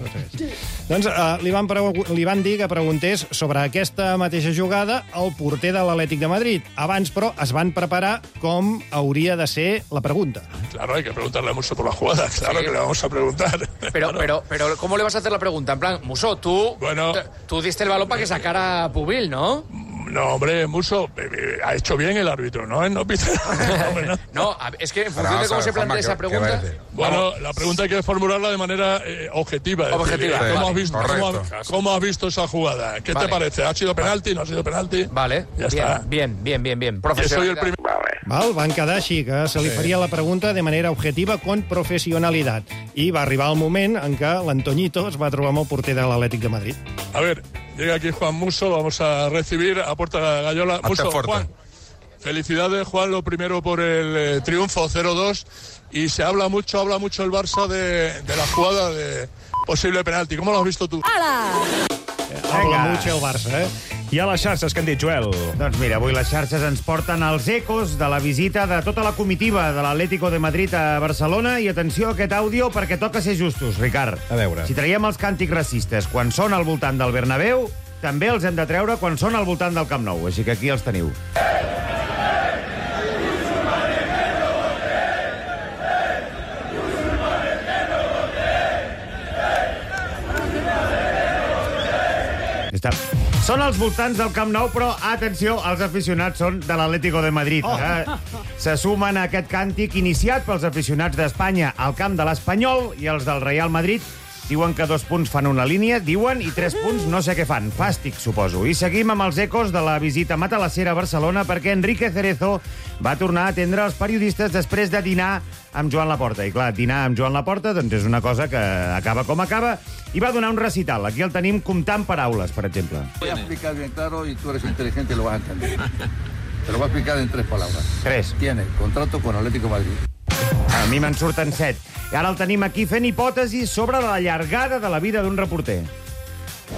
Doncs li van dir que preguntés sobre aquesta mateixa jugada al porter de l'Atlètic de Madrid. Abans, però, es van preparar com hauria de ser la pregunta. Claro, hay que preguntarle a Musso por la jugada, claro que le vamos a preguntar. Pero, ¿cómo le vas a hacer la pregunta? En plan, Musso, tú diste el balón para que sacara Pubil, ¿no? No, hombre, Musso, ha hecho bien el árbitro, ¿no? No pita. No, es que en función de cómo se plantea esa pregunta... Bueno, la pregunta hay que formularla de manera objetiva. Objetiva. ¿Cómo has visto esa jugada? ¿Qué te parece? ¿Ha sido penalti? ¿No ha sido penalti? Vale, ya está. Bien. Soy el primer... Van quedar així, que se li faria la pregunta de manera objetiva con professionalitat. I va arribar el moment en què l'Antoñito es va trobar amb el porter de l'Atlètic de Madrid. A ver, llega aquí Juan Musso, vamos a recibir a Puerta Gallola. Musso, Juan, felicidades, Juan, lo primero por el triunfo 0-2, y se habla mucho el Barça de la jugada de posible penalti. ¿Cómo lo has visto tú? Habla mucho el Barça, I a les xarxes, què han dit, Joel? Doncs mira, avui les xarxes ens porten els ecos de la visita de tota la comitiva de l'Atlético de Madrid a Barcelona, i atenció a aquest àudio perquè toca ser justos, Ricard. A veure. Si traiem els càntics racistes quan són al voltant del Bernabéu, també els hem de treure quan són al voltant del Camp Nou, així que aquí els teniu. Són als voltants del Camp Nou, però, atenció, els aficionats són de l'Atlético de Madrid. Se sumen a aquest càntic iniciat pels aficionats d'Espanya al camp de l'Espanyol, i els del Real Madrid diuen que 2 punts fan una línia, diuen, i 3 punts no sé què fan. Fàstic, suposo. I seguim amb els ecos de la visita matalassera a Barcelona, perquè Enrique Cerezo va tornar a atendre els periodistes després de dinar amb Joan Laporta. I clar, dinar amb Joan Laporta doncs és una cosa que acaba com acaba, i va donar un recital. Aquí el tenim comptant paraules, per exemple. Voy a explicar bien claro, y tú eres inteligente y lo vas a entender. Te lo voy a explicar en 3 palabras. 3. Tiene contrato con Atlético de Madrid. A mi me'n surten 7. I ara el tenim aquí fent hipòtesis sobre la llargada de la vida d'un reporter.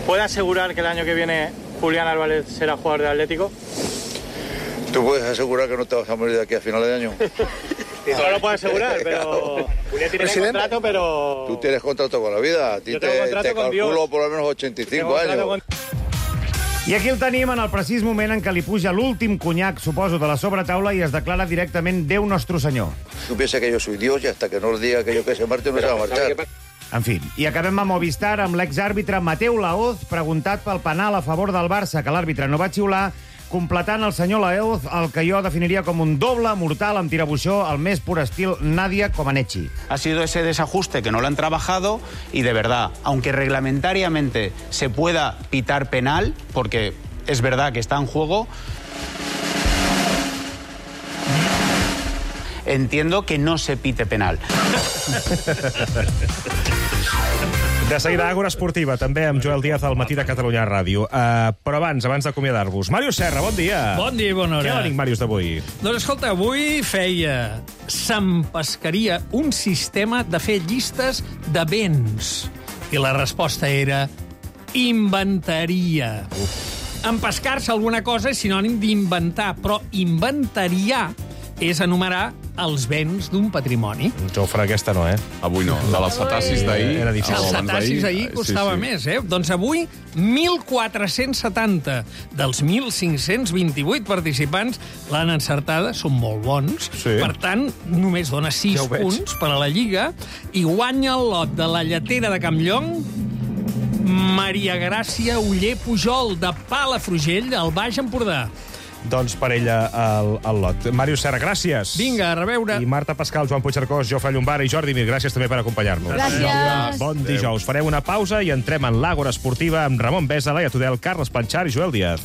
¿Puede asegurar que el año que viene Julián Álvarez será jugador del Atlético? ¿Tú puedes asegurar que no te vas a morir de aquí a finales de año? No lo puedo asegurar, pero... Julián tiene contrato, pero... Tú tienes contrato con la vida. A ti Yo tengo contrato te con calculo Dios. por lo menos 85 años. I aquí el tenim en el precís moment en què li puja l'últim conyac, suposo, de la sobretaula, i es declara directament Déu Nostre Senyor. Tú piensas que yo soy Dios, y hasta que no os diga aquello que se marte no se va a marchar. En fi, i acabem a Movistar amb l'exàrbitre Mateu Laoz, preguntat pel penal a favor del Barça, que l'àrbitre no va xiular, completant el senyor Laoz el que jo definiria com un doble mortal amb tirabuixó al més pur estil Nadia Comaneci. Ha sido ese desajuste que no lo han trabajado, y de verdad, aunque reglamentariamente se pueda pitar penal, porque es verdad que está en juego, entiendo que no se pite penal. De seguida, Àgora Esportiva, també amb Joel Díaz al Matí de Catalunya Ràdio. Però abans d'acomiadar-vos, Màrius Serra, bon dia. Bon dia i bona hora. Què l'ànic, Màrius, d'avui? Doncs escolta, avui s'empescaria un sistema de fer llistes de béns. I la resposta era inventaria. Empescar-se alguna cosa és sinònim d'inventar, però inventariar és enumerar els béns d'un patrimoni. Jofre, aquesta no, Avui no. De les cetacis d'ahir... Era difícil. Els cetacis d'ahir costava més, Doncs avui, 1.470 dels 1.528 participants l'han encertada, són molt bons. Sí. Per tant, només dona 6 punts per a la Lliga, i guanya el lot de la lletera de Campllong Maria Gràcia Oller Pujol, de Palafrugell, al Baix Empordà. Doncs per ella el lot. Màrius Serra, gràcies. Vinga, a reveure. I Marta Pascal, Joan Puigcercós, Jofre Llombara i Jordi Mir, gràcies també per acompanyar-nos. Gràcies. Bon dijous. Farem una pausa i entrem en l'Àgora Esportiva amb Ramon Besa, Laia Tudel, Carles Planchar i Joel Díaz.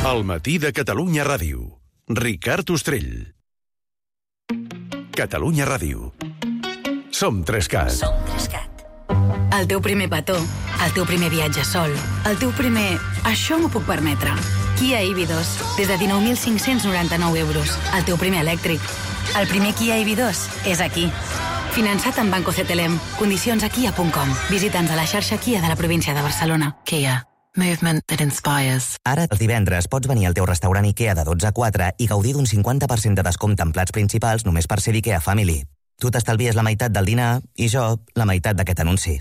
El matí de Catalunya Ràdio. Ricard Ostrell. Catalunya Ràdio. Som 3CAT. Som 3CAT. El teu primer petó, el teu primer viatge sol, el teu primer... Això m'ho puc permetre. Kia EV2, des de 19.599 euros. El teu primer elèctric. El primer Kia EV2 és aquí. Finançat amb Banco CTLM. Condicions a kia.com. Visita'ns a la xarxa Kia de la província de Barcelona. Kia. Movement that inspires. Ara, els divendres, pots venir al teu restaurant IKEA de 12 a 4 i gaudir d'un 50% de descompte en plats principals només per ser IKEA Family. Tu t'estalvies la meitat del dinar i jo la meitat d'aquest anunci.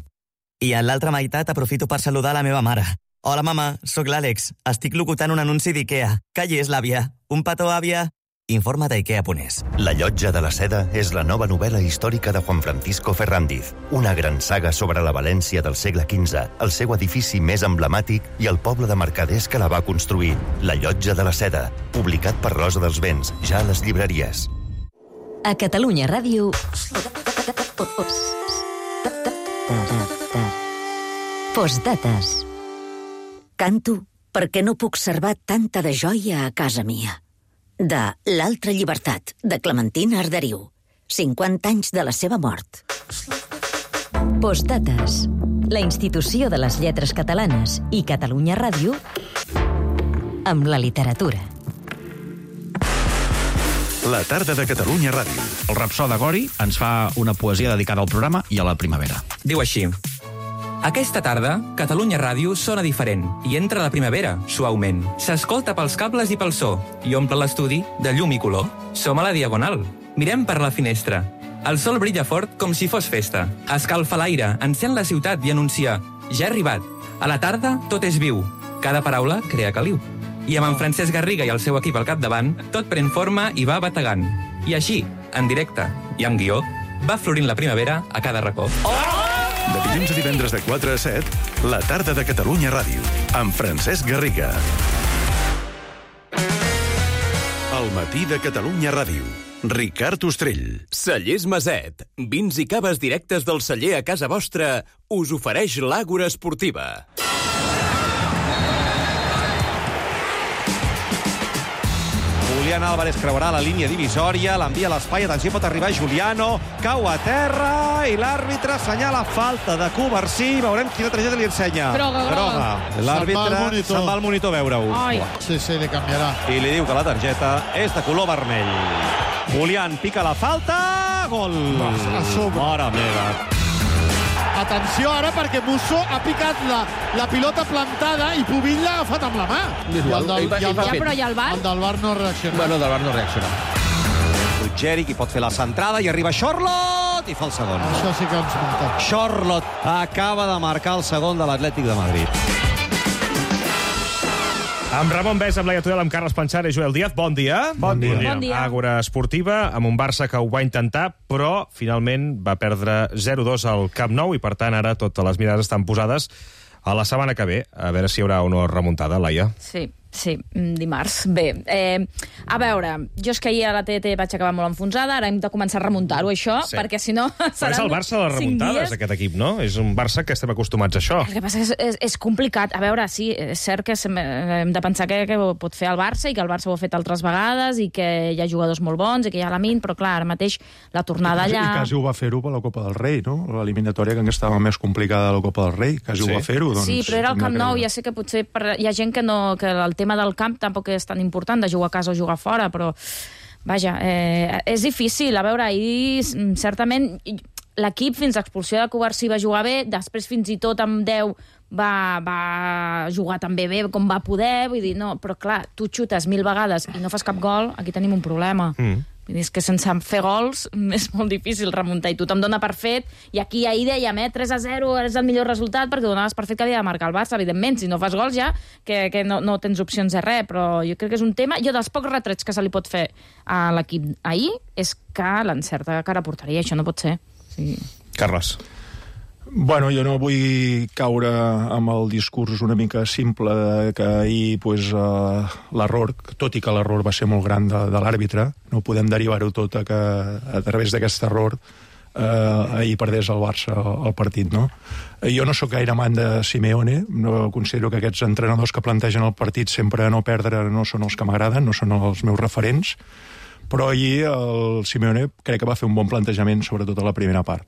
I en l'altra meitat aprofito per saludar la meva mare. Hola, mama, sóc l'Àlex. Estic locutant un anunci d'IKEA. Que hi és, l'àvia? Un petó, àvia? Informa d'IKEA.es. La llotja de la seda és la nova novel·la històrica de Juan Francisco Ferrandiz, una gran saga sobre la València del segle XV, el seu edifici més emblemàtic i el poble de mercaders que la va construir. La llotja de la seda, publicat per Rosa dels Vents, ja a les llibreries. A Catalunya Ràdio... Postdates. Canto perquè no puc servar tanta de joia a casa mia. De L'altra llibertat, de Clementina Arderiu. 50 anys de la seva mort. Postdates. La institució de les lletres catalanes i Catalunya Ràdio amb la literatura. La tarda de Catalunya Ràdio. El Rapsode Gori ens fa una poesia dedicada al programa i a la primavera. Diu així: aquesta tarda, Catalunya Ràdio sona diferent i entra la primavera, suaument. S'escolta pels cables i pel so i omple l'estudi de llum i color. Som a la Diagonal. Mirem per la finestra. El sol brilla fort com si fos festa. Escalfa l'aire, encén la ciutat i anuncia: ja he arribat. A la tarda, tot és viu. Cada paraula crea caliu. I amb en Francesc Garriga i el seu equip al capdavant, tot pren forma i va bategant. I així, en directe i amb guió, va florint la primavera a cada racó. De dilluns a divendres de 4 a 7, la tarda de Catalunya Ràdio, amb Francesc Garriga. El matí de Catalunya Ràdio. Ricard Ostrell. Cellers Maset. Vins i caves directes del celler a casa vostra us ofereix l'Àgora Esportiva. Julián Álvarez creuarà la línia divisòria, l'envia a l'espai, atenció, pot arribar Juliano, cau a terra i l'àrbitre assenyala falta de Covarsí. Veurem quina targeta li ensenya. Groga. L'àrbitre se'n va al monitor a veure-ho. Sí, li canviarà. I li diu que la targeta és de color vermell. Julián pica la falta, gol. Mare meva. Atenció ara perquè Musso ha picat la pilota plantada i Pubill l'ha agafat amb la mà. Però i el VAR? El del VAR no reacciona. Bueno, del VAR no reacciona. Ruggeri, qui pot fer la centrada, i arriba Xorlot i fa el segon. Això sí que ens mata. Xorlot acaba de marcar el segon de l'Atlètic de Madrid. Amb Ramon Bès, amb Laia Tudel, amb Carles Panxar i Joel Díaz. Bon dia. Bon dia. Àgora Esportiva, amb un Barça que ho va intentar, però finalment va perdre 0-2 al Camp Nou i, per tant, ara totes les mirades estan posades a la setmana que ve. A veure si hi haurà o no remuntada, Laia. Sí, dimarts. Bé, a veure, jo és que ahir a la TDT vaig acabar molt enfonsada, ara hem de començar a remuntar-ho, això, perquè si no seran 5 dies. És el Barça de les remuntades, aquest equip, no? És un Barça que estem acostumats a això. El que passa és complicat. A veure, sí, és cert que hem de pensar que ho pot fer el Barça i que el Barça ho ha fet altres vegades i que hi ha jugadors molt bons i que hi ha Lamine, però clar, ara mateix la tornada allà... I quasi ho va fer-ho per la Copa del Rei, no? L'eliminatòria que estava més complicada de la Copa del Rei, quasi ho va fer-ho. Doncs, sí, però era el Camp Nou, ja sé que potser hi ha gent que el tema del camp tampoc és tan important, de jugar a casa o jugar fora, però vaja, és difícil. A veure, ahir certament l'equip fins a expulsió de Covarsí va jugar bé, després fins i tot amb 10 va jugar també bé com va poder, vull dir, no, però clar, tu xutes 1000 vegades i no fas cap gol, aquí tenim un problema. Vull dir, és que sense fer gols és molt difícil remuntar i tothom dona per fet, i aquí ahir dèiem 3-0 és el millor resultat perquè donaves per fet que havia de marcar el Barça, evidentment, si no fas gols ja que no tens opcions de res, però jo crec que és un tema, jo dels pocs retrets que se li pot fer a l'equip ahir és que l'encerta cara a porteria, això no pot ser. Sí. Carles. Bueno, jo no vull caure amb el discurs una mica simple de que ahir l'error, tot i que l'error va ser molt gran de l'àrbitre, no podem derivar-ho tot a que a través d'aquest error ahir perdés el Barça el partit, no? Jo no sóc gaire amant de Simeone, no considero que aquests entrenadors que plantegen el partit sempre a no perdre no són els que m'agraden, no són els meus referents, però ahir el Simeone crec que va fer un bon plantejament, sobretot a la primera part.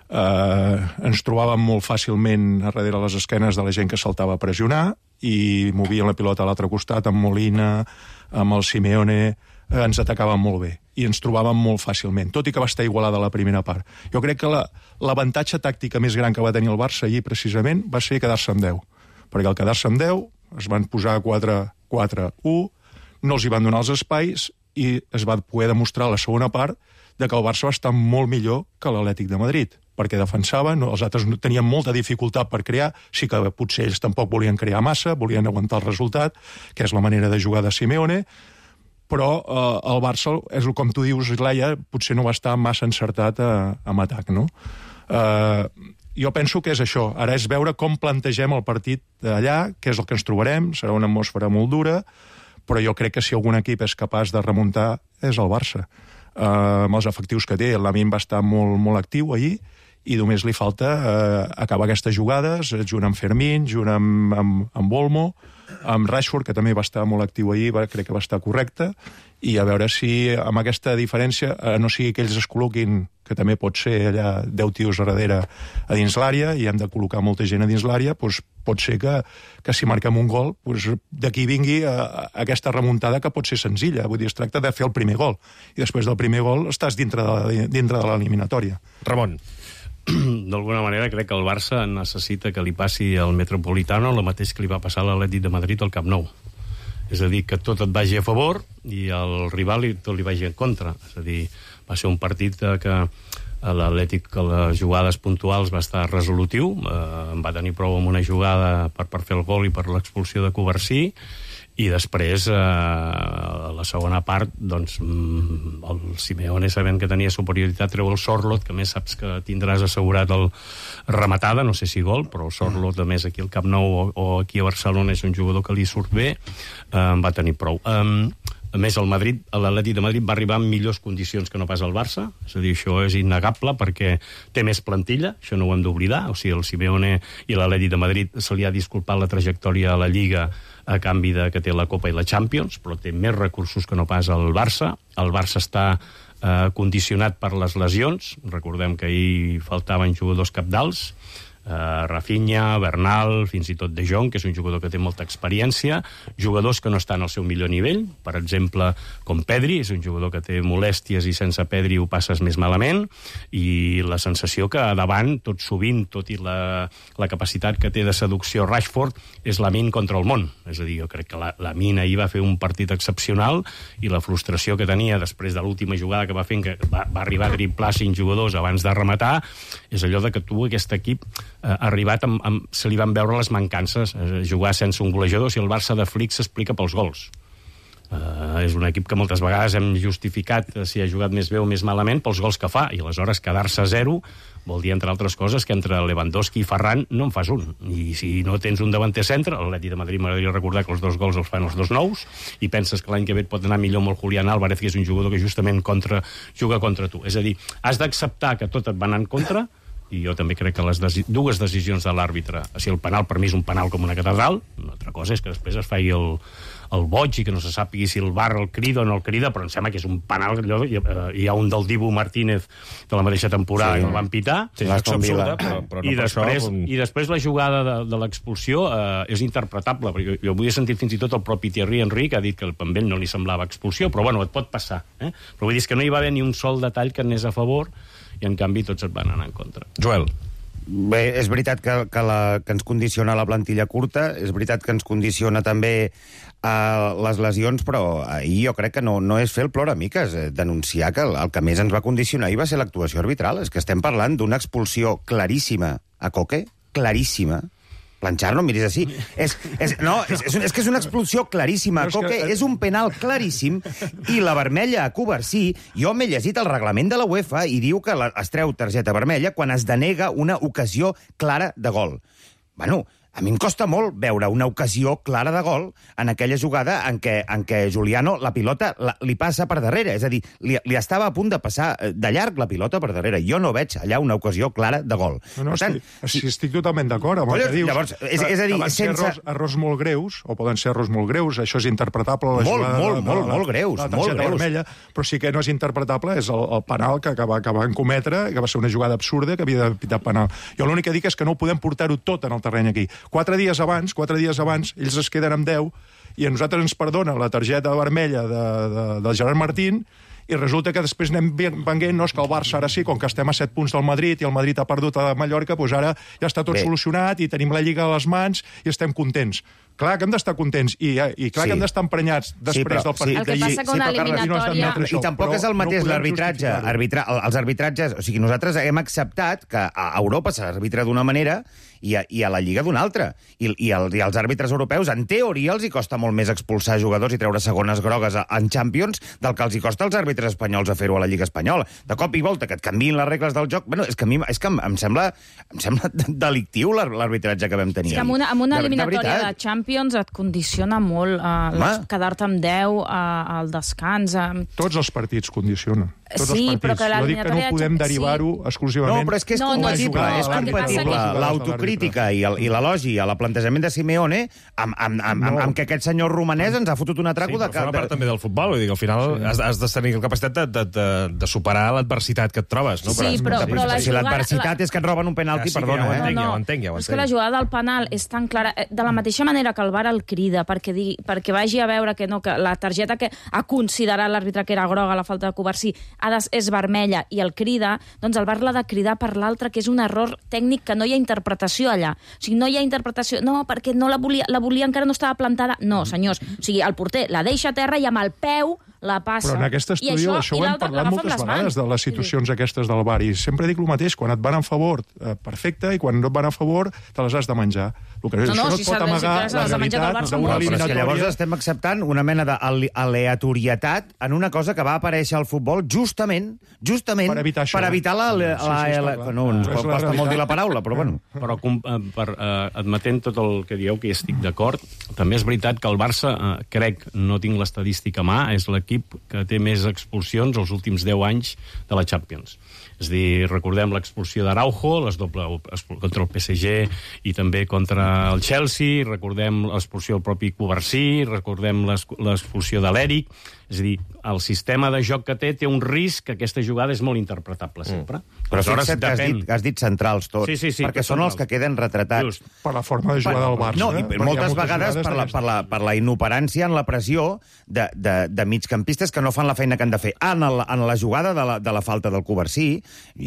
Ens trobàvem molt fàcilment a darrere les esquenes de la gent que saltava a pressionar i movien la pilota a l'altre costat amb Molina, amb el Simeone, ens atacaven molt bé i ens trobàvem molt fàcilment, tot i que va estar igualada la primera part. Jo crec que l'avantatge tàctica més gran que va tenir el Barça ahir precisament va ser quedar-se amb 10, perquè al quedar-se amb 10 es van posar 4-4-1, no els hi van donar els espais i es va poder demostrar a la segona part de que el Barça va estar molt millor que l'Atlètic de Madrid, perquè defensaven, els altres tenien molta dificultat per crear, sí que potser ells tampoc volien crear massa, volien aguantar el resultat, que és la manera de jugar de Simeone, però el Barça, és com tu dius, Leia, potser no va estar massa encertat en atac, no? Jo penso que és això. Ara és veure com plantegem el partit allà, què és el que ens trobarem, serà una atmosfera molt dura, però jo crec que si algun equip és capaç de remuntar és el Barça. Amb els efectius que té, l'Amin va estar molt, molt actiu ahir, i només li falta acabar aquestes jugades, junt amb Fermín, junt amb Olmo, amb Rashford, que també va estar molt actiu ahir, crec que va estar correcte, i a veure si amb aquesta diferència, no sigui que ells es col·loquin, que també pot ser allà 10 tios a darrere a dins l'àrea, i hem de col·locar molta gent a dins l'àrea, doncs pot ser que si marquem un gol, doncs d'aquí vingui aquesta remuntada que pot ser senzilla. Vull dir, es tracta de fer el primer gol, i després del primer gol estàs dintre de l'eliminatòria. Ramon. D'alguna manera crec que el Barça necessita que li passi al Metropolitano el mateix que li va passar a l'Atlètic de Madrid al Camp Nou. És a dir, que tot et vagi a favor i el rival tot li vagi en contra. És a dir, va ser un partit que l'Atlètic, a les jugades puntuals, va estar resolutiu. Va tenir prou amb una jugada per fer el gol i per l'expulsió de Covarsí, i després, a la segona part, doncs, el Simeone, sabent que tenia superioritat, treu el Sorloth, que més saps que tindràs assegurat el rematada, no sé si gol, però el Sorloth, a més, aquí al Camp Nou o aquí a Barcelona, és un jugador que li surt bé, va tenir prou. A més, l'Atlètic de Madrid va arribar en millors condicions que no pas el Barça, és a dir, això és innegable perquè té més plantilla, això no ho hem d'oblidar, o sigui, el Simeone i l'Atlètic de Madrid se li ha disculpat la trajectòria a la Lliga a canvi de que té la Copa i la Champions, però té més recursos que no pas el Barça. El Barça està condicionat per les lesions, recordem que ahir faltaven jugadors cabdals, Rafinha, Bernal, fins i tot De Jong, que és un jugador que té molta experiència, jugadors que no estan al seu millor nivell, per exemple, com Pedri, és un jugador que té molèsties i sense Pedri ho passes més malament, i la sensació que davant, tot sovint, tot i la capacitat que té de seducció Rashford, és l'Amin contra el món. És a dir, jo crec que l'Amin ahir va fer un partit excepcional, i la frustració que tenia després de l'última jugada que va fer, que va arribar a driblar 5 jugadors abans de rematar, és allò de que tu, aquest equip, ha arribat se li van veure les mancances, jugar sense un golejador. Si el Barça de Flick s'explica pels gols. És un equip que moltes vegades hem justificat si ha jugat més bé o més malament pels gols que fa, i aleshores quedar-se a 0 vol dir, entre altres coses, que entre Lewandowski i Ferran no en fas un. I si no tens un davanter centre, l'Atlètic de Madrid m'agradaria recordar que els 2 gols els fan els 2 nous, i penses que l'any que ve et pot anar millor amb el Julián Álvarez, que és un jugador que justament juga contra tu. És a dir, has d'acceptar que tot et va anar en contra, i jo també crec que les dues decisions de l'àrbitre, si el penal per mi és un penal com una catedral, una altra cosa és que després es faci el boig i que no se sàpigui si el VAR el crida o no el crida, però em sembla que és un penal. Hi ha un del Dibu Martínez de la mateixa temporada que el van pitar, sí, absurda, però no i després la jugada de l'expulsió és interpretable, perquè jo avui he sentit fins i tot el propi Thierry Henry que ha dit que a ell no li semblava expulsió, però bueno, et pot passar, però vull dir que no hi va haver ni un sol detall que anés a favor, i en canvi tots et van anar en contra. Joel. Bé, és veritat que ens condiciona la plantilla curta, és veritat que ens condiciona també les lesions, però ahir jo crec que no és fer el ploramiques, denunciar que el que més ens va condicionar ahir va ser l'actuació arbitral. És que estem parlant d'una expulsió claríssima a Koke, claríssima. Planxar, no miris així. És que és una expulsió claríssima. Koke és un penal claríssim, i la vermella a Covarsí, jo m'he llegit el reglament de la UEFA i diu que es treu targeta vermella quan es denega una ocasió clara de gol. Bueno, a mi em costa molt veure una ocasió clara de gol en aquella jugada en què Juliano, la pilota li passa per darrere. És a dir, li estava a punt de passar de llarg la pilota per darrere. Jo no veig allà una ocasió clara de gol. No, estic totalment d'acord amb el que dius. Llavors, és a dir, poden ser errors molt greus, o poden ser errors molt greus, això és interpretable. Molt greus. La targeta vermella, però sí que no és interpretable, és el penal que van cometre, que va ser una jugada absurda, que havia de pitar penal. Jo l'únic que dic és que no ho podem portar-ho tot en el terreny aquí. 4 dies abans, ells es queden amb 10, i a nosaltres ens perdona la targeta vermella de Gerard Martín, i resulta que després anem venguent, no, és que el Barça ara sí, com que estem a 7 punts del Madrid i el Madrid ha perdut a Mallorca, doncs ara ja està tot solucionat i tenim la Lliga a les mans i estem contents. Clar que hem d'estar contents i clar que hem d'estar emprenyats després del partit d'ahir. El que passa que una eliminatòria... I tampoc és el mateix l'arbitratge. Els arbitratges... O sigui, nosaltres hem acceptat que a Europa s'arbitra d'una manera i a la Lliga d'una altra. I als àrbitres europeus, en teoria, els hi costa molt més expulsar jugadors i treure segones grogues en Champions del que els hi costa als àrbitres espanyols a fer-ho a la Lliga espanyola. De cop i volta, que et canviïn les regles del joc... Bueno, és que em sembla delictiu l'arbitratge que vam tenir. És que amb una eliminatòria de Champions et condiciona molt quedar-te amb 10 al descans. Tots els partits condicionen. Sí, però que jo dic que no podem derivar-ho exclusivament... No, però és que és compatible. L'autocrítica i l'elogi a la plantejament de Simeone amb que aquest senyor romanès ens ha fotut un atraco de... Sí, però forma part també del futbol. Vull dir que al final has de tenir la capacitat de superar l'adversitat que et trobes. Sí, però si l'adversitat és que et roben un penalti, perdona. Ja ho entenc. És que la jugada del penal és tan clara. De la mateixa manera que el VAR el crida perquè vagi a veure que la targeta que ha considerat l'àrbitre que era groga, la falta de Covarsí, és vermella i el crida, doncs el VAR l'ha de cridar per l'altre, que és un error tècnic que no hi ha interpretació allà. O sigui, no hi ha interpretació. No, perquè no la volia encara no estava plantada. No, senyors. O sigui, el porter la deixa a terra i amb el peu la passa. Però en aquest estudi això ho hem parlat moltes vegades, de les situacions aquestes del VAR, i sempre dic el mateix, quan et van a favor, perfecte, i quan no et van a favor, te les has de menjar. Això no et pot amagar la realitat d'una eliminatòria. Llavors estem acceptant una mena d'aleatorietat en una cosa que va aparèixer al futbol justament per evitar no, ens costa molt dir la paraula, però bueno. Però admetent tot el que dieu, que hi estic d'acord, també és veritat que el Barça, crec, no tinc l'estadística a mà, és l'equip que té més expulsions els últims 10 anys de la Champions. És a dir, recordem l'expulsió d'Araujo, les doble contra el PSG i també contra el Chelsea, recordem l'expulsió del propi Covarsí, recordem l'expulsió de l'Eric. És a dir, el sistema de joc que té un risc que aquesta jugada és molt interpretable sempre. Però fixa't que has dit centrals tots, perquè són els que queden retratats. Per la forma de jugar del Barça. No, i moltes vegades per la inoperància en la pressió de migcampistes que no fan la feina que han de fer. En la jugada de la falta del Covarsí,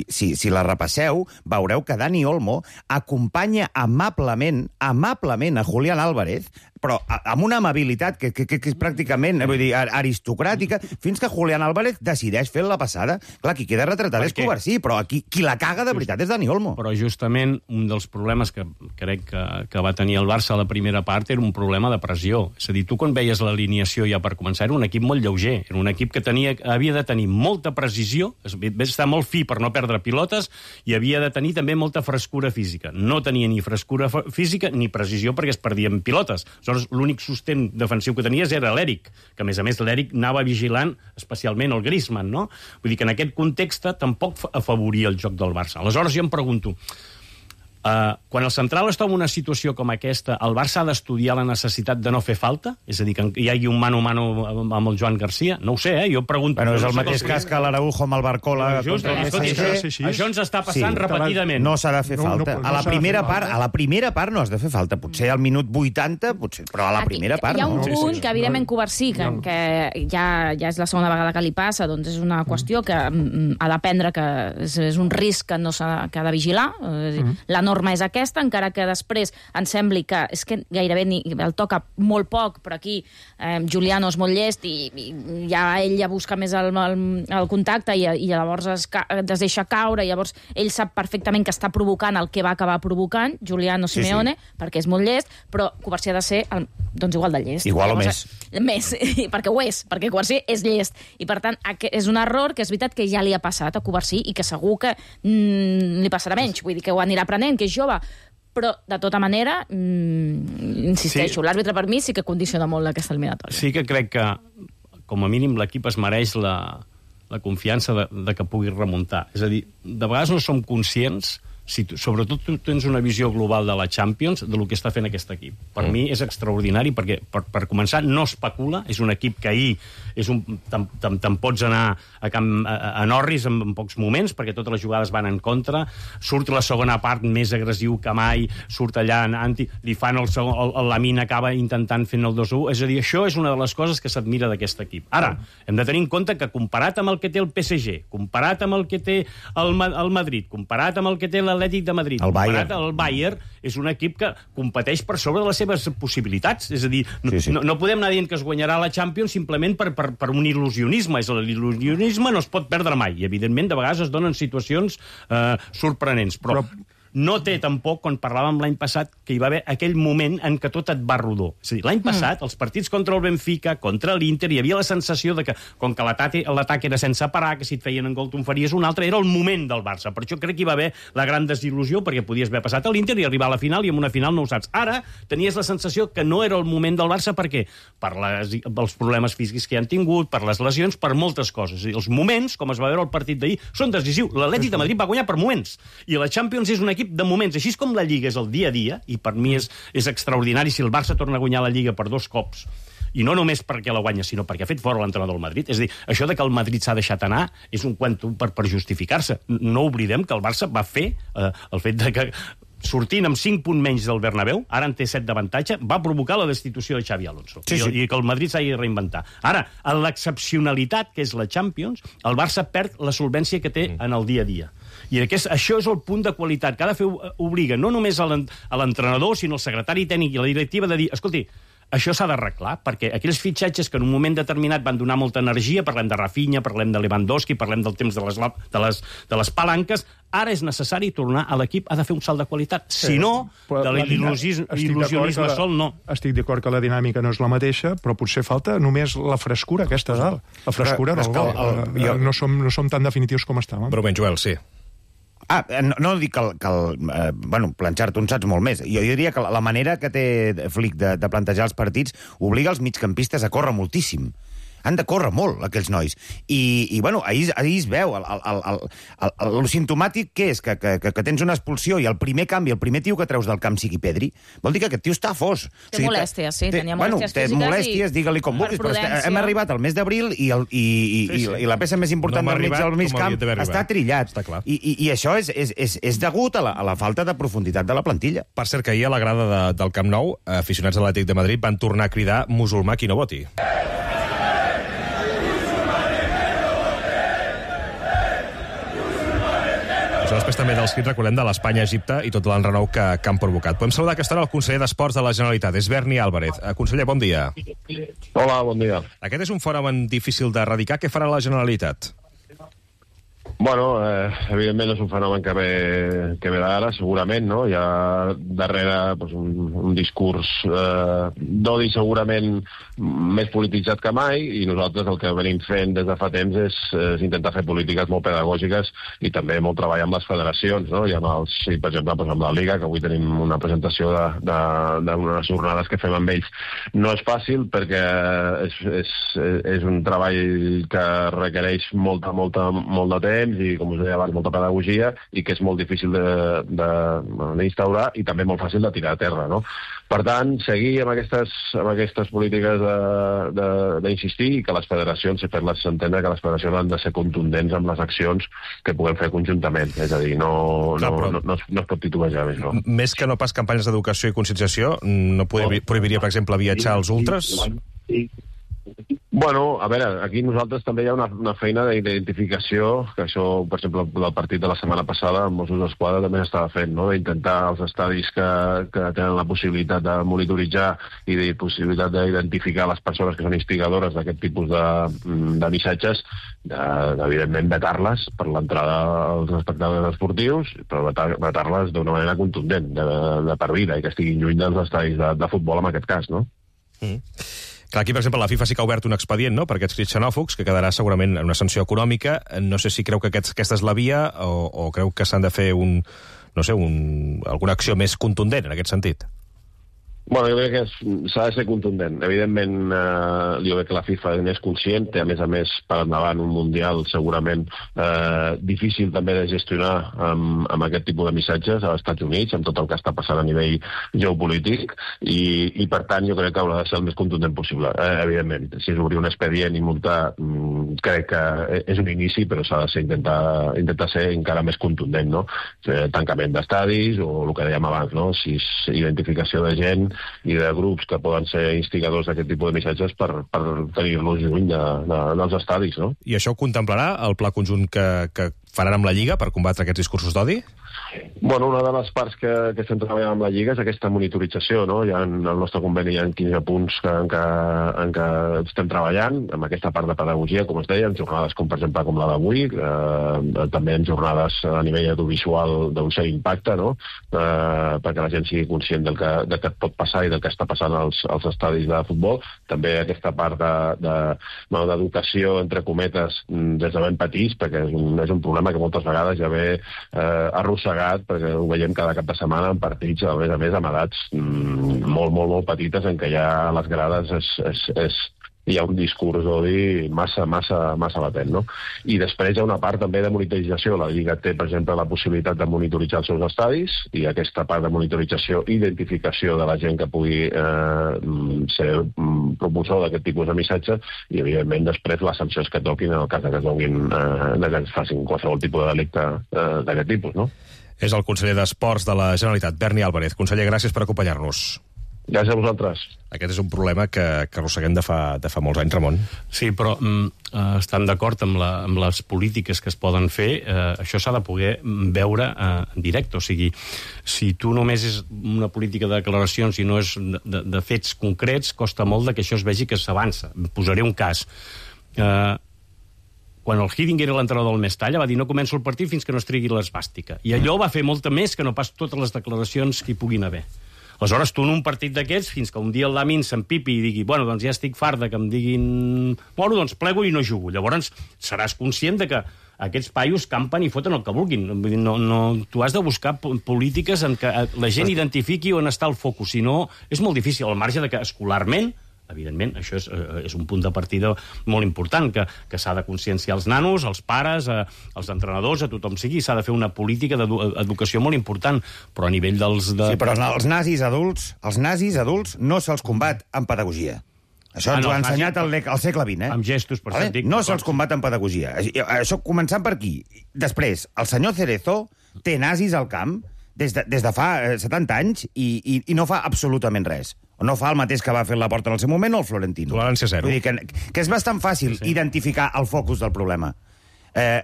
si la repasseu, veureu que Dani Olmo acompanya amablement a Julián Álvarez, però amb una amabilitat que és pràcticament aristocràtica, fins que Julián Álvarez decideix fer la passada. Clar, qui queda retratat és Covarsí, però qui la caga de veritat és Dani Olmo. Però justament un dels problemes que crec que va tenir el Barça a la primera part era un problema de pressió. És a dir, tu quan veies l'alineació ja per començar, era un equip molt lleuger, era un equip que havia de tenir molta precisió, estar molt fi per no perdre pilotes, i havia de tenir també molta frescura física. No tenia ni frescura física ni precisió perquè es perdien pilotes. Aleshores, l'únic sostén defensiu que tenies era l'Eric, que a més l'Eric anava vigilant especialment el Griezmann, no? Vull dir que en aquest context tampoc afavoria el joc del Barça. Aleshores jo em pregunto, quan el central està en una situació com aquesta, el Barça ha d'estudiar la necessitat de no fer falta? És a dir, que hi hagi un mano a mano amb el Joan Garcia? No ho sé, jo pregunto... Però és el mateix cas que l'Araujo amb el Barcola contra el PSG. Això ens està passant repetidament. No s'ha de fer falta. A la primera part no has de fer falta. Potser al minut 80, però a la primera part no. Hi ha un punt que, evidentment, Covarsí, que ja és la segona vegada que li passa, doncs és una qüestió que ha d'aprendre que és un risc que ha de vigilar. La norma és aquesta, encara que després ens sembli que és que gairebé el toca molt poc, però aquí Juliano és molt llest i ell ja busca més el contacte i llavors es deixa caure, i llavors ell sap perfectament que està provocant el que va acabar provocant, Juliano Simeone, perquè és molt llest, però Covarsí ha de ser doncs igual de llest. Igual o més. Més, perquè ho és, perquè Covarsí és llest. I per tant, és un error que és veritat que ja li ha passat a Covarsí i que segur que li passarà menys, vull dir que ho anirà aprenent, que és jove, però de tota manera insisteixo, l'àrbitre per mi sí que condiciona molt aquesta eliminatòria. Sí que crec que com a mínim l'equip es mereix la confiança de que pugui remuntar. És a dir, de vegades no som conscients, sobretot tu tens una visió global de la Champions, del que està fent aquest equip. Per mi és extraordinari, perquè per començar no especula, és un equip que ahir te'n pots anar a Norris en pocs moments, perquè totes les jugades van en contra, surt la segona part més agressiu que mai, surt allà li fan el Lamine acaba intentant fent el 2-1, és a dir, això és una de les coses que s'admira d'aquest equip. Ara, hem de tenir en compte que comparat amb el que té el PSG, comparat amb el que té el Madrid, comparat amb el que té l'Atlètic l'Atlètic de Madrid. El Bayern. El Bayern és un equip que competeix per sobre de les seves possibilitats. És a dir, no podem anar dient que es guanyarà la Champions simplement per un il·lusionisme. L'il·lusionisme no es pot perdre mai. I, evidentment, de vegades es donen situacions sorprenents. Però no té tampoc, quan parlàvem l'any passat, que hi va haver aquell moment en què tot et va rodó. És a dir, l'any passat, els partits contra el Benfica, contra l'Inter, hi havia la sensació de que, com que l'atac era sense parar, que si et feien en gol tu en faries un altre, era el moment del Barça. Per això crec que hi va haver la gran desil·lusió, perquè podies haver passat a l'Inter i arribar a la final, i en una final no ho saps. Ara tenies la sensació que no era el moment del Barça, per què? Per els problemes físics que han tingut, per les lesions, per moltes coses. I els moments, com es va veure el partit d'ahir, són decisius. L'Atlètic de Madrid va guanyar per moments. I la Champions és un equip de moments. Així com la Lliga és el dia a dia, i per mi és extraordinari si el Barça torna a guanyar la Lliga per 2 cops, i no només perquè la guanya, sinó perquè ha fet fora l'entrenador del Madrid. És a dir, això de que el Madrid s'ha deixat anar és un cuento per justificar-se. No oblidem que el Barça va fer el fet de que sortint amb 5 punts menys del Bernabéu, ara en té 7 d'avantatge, va provocar la destitució de Xavi Alonso. I que el Madrid s'hagi de reinventar. Ara, en l'excepcionalitat que és la Champions, el Barça perd la solvència que té en el dia a dia. I això és el punt de qualitat que ha de fer, obliga no només a l'entrenador, sinó al secretari tècnic i a la directiva de dir, escolti, això s'ha d'arreglar, perquè aquells fitxatges que en un moment determinat van donar molta energia, parlem de Rafinha, parlem de Lewandowski, parlem del temps de les palanques, ara és necessari tornar a l'equip, ha de fer un salt de qualitat. Si no, de l'il·lusionisme sol, no. Estic d'acord que la dinàmica no és la mateixa, però potser falta només la frescura aquesta dalt. La frescura del gol. No som tan definitius com estàvem. Però ben, Joel, sí. No dic que planxar tu en saps molt més. Jo diria que la manera que té Flick de plantejar els partits obliga els migcampistes a córrer moltíssim. Han de córrer molt, aquells nois. I ahir es veu. El simptomàtic què és? Que tens una expulsió i el primer canvi, el primer tio que treus del camp sigui Pedri, vol dir que aquest tio està fos. Té molèsties, sí, tenia molèsties físiques. Té molèsties, digue-li com vulguis, però hem arribat al mes d'abril i la peça més important del mig camp està trillat. I això és degut a la falta de profunditat de la plantilla. Per cert, que ahir a la grada del Camp Nou, aficionats de l'Atlètic de Madrid van tornar a cridar musulmà qui no voti. Després també dels crits, recordem, de l'Espanya-Egipte i tot l'enrenou que han provocat. Podem saludar aquesta hora el conseller d'Esports de la Generalitat, és Berni Álvarez. Conseller, bon dia. Hola, bon dia. Aquest és un fenomen difícil d'erradicar. Què farà la Generalitat? Bueno, evidentment és un fenomen que ve d'ara, segurament, no? Hi ha darrere un discurs d'odi segurament més polititzat que mai, i nosaltres el que venim fent des de fa temps és intentar fer polítiques molt pedagògiques i també molt treball amb les federacions, no? I per exemple, amb la Liga, que avui tenim una presentació d'unes jornades que fem amb ells. No és fàcil perquè és un treball que requereix molt de temps i, com us deia abans, molta pedagogia i que és molt difícil d'instaurar i també molt fàcil de tirar a terra, no? Per tant, seguir amb aquestes polítiques d'insistir i que les federacions, fer-les entendre que les federacions han de ser contundents amb les accions que puguem fer conjuntament. És a dir, no es pot titubejar més, no? Més que no pas campanyes d'educació i conscienciació, no prohibiria, per exemple, viatjar als ultras? Bueno, a veure, aquí nosaltres també hi ha una feina d'identificació, que això, per exemple, del partit de la setmana passada, amb Mossos d'Esquadra també s'estava fent, no? D'intentar els estadis que tenen la possibilitat de monitoritzar i de possibilitat d'identificar les persones que són instigadores d'aquest tipus de missatges, evidentment vetar-les per l'entrada als espectacles esportius, però vetar-les d'una manera contundent, de per vida, i que estiguin lluny dels estadis de futbol en aquest cas, no? Clar, aquí, per exemple, la FIFA sí que ha obert un expedient, no?, per aquests crits xenòfobs, que quedarà segurament en una sanció econòmica. No sé si creu que aquesta és la via o creu que s'han de fer alguna acció més contundent en aquest sentit. Bueno, jo crec que s'ha de ser contundent. Evidentment, jo crec que la FIFA n'és conscient, té a més per endavant un mundial segurament difícil també de gestionar amb aquest tipus de missatges als Estats Units, amb tot el que està passant a nivell geopolític, i per tant jo crec que haurà de ser el més contundent possible. Evidentment, si és obrir un expedient i multar, crec que és un inici, però s'ha de ser intentar ser encara més contundent, no? Tancament d'estadis, o el que dèiem abans, no? Si és identificació de gent i de grups que poden ser instigadors d'aquest tipus de missatges per tenir-los lluny dels estadis, no? I això ho contemplarà el pla conjunt que faran amb la Lliga per combatre aquests discursos d'odi? Bueno, una de les parts que estem treballant amb la Lliga és aquesta monitorització, no? En el nostre conveni hi ha 15 punts en què estem treballant, amb aquesta part de pedagogia, com es deia, en jornades com, per exemple, com la d'avui, també en jornades a nivell audiovisual d'un cert impacte, no? Perquè la gent sigui conscient del que pot passar i del que està passant als estadis de futbol. També aquesta part d'educació, entre cometes, des de ben petits, perquè és un problema que moltes vegades ja ve arrossegat, perquè ho veiem cada cap de setmana en partits, a més, amb edats molt, molt, molt petites, en què ja a les grades hi ha un discurs d'odi massa latent, no? I després hi ha una part també de monitorització. La Lliga té, per exemple, la possibilitat de monitoritzar els seus estadis, i aquesta part de monitorització, identificació de la gent que pugui ser propulsor d'aquest tipus de missatge, i, evidentment, després les sancions que toquin en el cas que es facin qualsevol tipus de delicte d'aquest tipus, no? És el conseller d'Esports de la Generalitat, Berni Álvarez. Conseller, gràcies per acompanyar-nos. Gràcies a vosaltres. Aquest és un problema que arrosseguem de fa molts anys, Ramon. Sí, però estan d'acord amb les polítiques que es poden fer. Això s'ha de poder veure en directe. O sigui, si tu només és una política de declaracions i no és de fets concrets, costa molt que això es vegi que s'avança. Posaré un cas. Quan el Hiddink era l'entrenador del Mestalla, va dir no començo el partit fins que no es trigui l'esbàstica. I allò va fer molta més que no pas totes les declaracions que hi puguin haver. Aleshores, tu en un partit d'aquests, fins que un dia el Lamin s'empipi i digui, bueno, doncs ja estic fart que em diguin... Bueno, doncs plego i no jugo. Llavors seràs conscient de que aquests paios campen i foten el que vulguin. Tu has de buscar polítiques en què la gent identifiqui on està el focus. Si no, és molt difícil, al marge de que escolarment, evidentment, això és un punt de partida molt important, que s'ha de conscienciar els nanos, els pares, els entrenadors, a tothom sigui, s'ha de fer una política d'educació molt important, però a nivell dels... Sí, però els nazis adults no se'ls combat amb pedagogia. Això ens ho ha ensenyat al segle XX, Amb gestos, per això et dic. No se'ls combat amb pedagogia. Això començant per aquí. Després, el senyor Cerezo té nazis al camp des de fa 70 anys i no fa absolutament res. O no fa el mateix que va fer la Porta en el seu moment o el Florentino. Tolerància zero. Vull dir que és bastant fàcil identificar el focus del problema.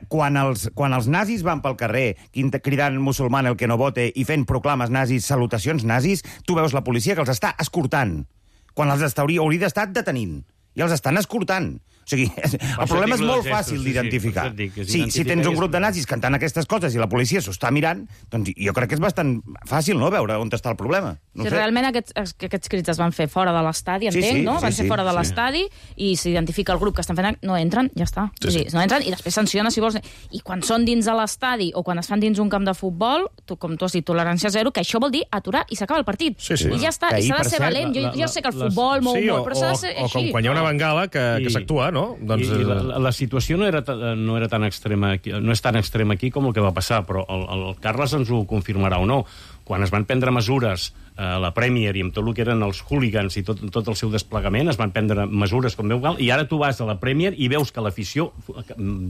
Quan els nazis van pel carrer cridant musulman el que no vote i fent proclames nazis, salutacions nazis, tu veus la policia que els està escortant, quan els hauria d'estar detenint, i els estan escortant. O sigui, el problema és molt fàcil d'identificar. Si tens un grup de nazis cantant aquestes coses i la policia s'ho està mirant, doncs jo crec que és bastant fàcil, no?, veure on està el problema. Si realment aquests crits es van fer fora de l'estadi, entenc, no? Van ser fora de l'estadi i s'identifica el grup que estan fent... No entren, ja està. No entren i després sanciona si vols. I quan són dins de l'estadi o quan es fan dins un camp de futbol, com tu has dit, tolerància zero, que això vol dir aturar i s'acaba el partit. I ja està. I s'ha de ser valent. Jo sé que el futbol mou molt, però s'ha de ser així. O com quan hi ha una bengala que s'actua, no? La situació no era tan extrema aquí, no és tan extrema aquí com el que va passar, però el Carles ens ho confirmarà o no. Quan es van prendre mesures a la Premier i amb tot el que eren els hooligans i tot el seu desplegament, es van prendre mesures com veu cal, i ara tu vas a la Premier i veus que l'afició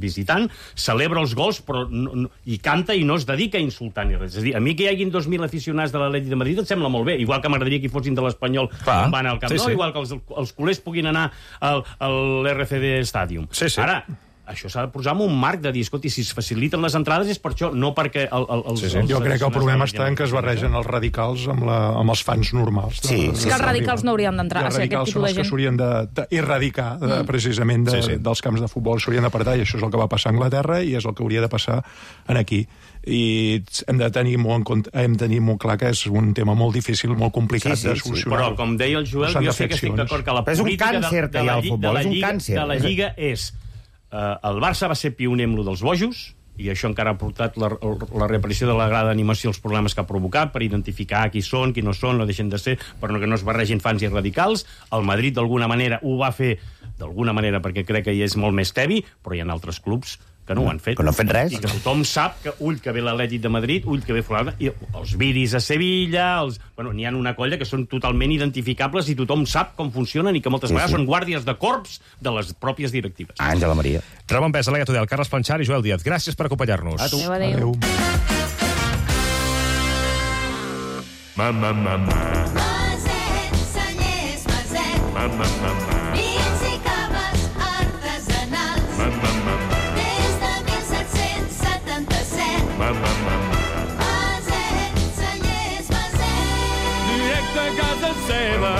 visitant celebra els gols i canta i no es dedica a insultar ni res. És a dir, a mi que hi hagin 2.000 aficionats de l'Atlètic de Madrid em sembla molt bé, igual que m'agradaria que hi fossin de l'Espanyol quan van al Camp Nou, igual que els culers puguin anar a l'RCD Stadium. Ara, això s'ha de posar en un marc de dir, escolti, si es faciliten les entrades és per això, no perquè... Jo crec que el problema està en que es barregen els radicals amb els fans normals. És que els radicals no haurien d'entrar. Els radicals són els que s'haurien d'erradicar precisament dels camps de futbol, s'haurien d'apartar, i això és el que va passar a Anglaterra i és el que hauria de passar aquí. I hem de tenir molt clar que és un tema molt difícil, molt complicat de solucionar. Però, com deia el Joel, jo sé que estic d'acord que la política de la Lliga és... El Barça va ser pioner amb lo dels bojos, i això encara ha portat la reaparició de la grada d'animació als problemes que ha provocat per identificar qui són, qui no són, no deixen de ser, però que no es barregin fans i radicals. El Madrid, d'alguna manera, ho va fer d'alguna manera perquè crec que hi és molt més tebi, però hi ha altres clubs que no ho han fet. Que no han fet res. I que tothom sap que ull que ve l'Atlètic de Madrid, ull que ve Fulana, i els viris a Sevilla, n'hi ha una colla que són totalment identificables i tothom sap com funcionen i que moltes vegades són guàrdies de corps de les pròpies directives. Àngela Maria. Ramon Pes, Alega Tudel, Carles Planchar i Joel Díaz. Gràcies per acompanyar-nos. A tu. Adéu. Maset, Cellers, Maset. Vins i caves artesanals. Des de 1770 casa seva.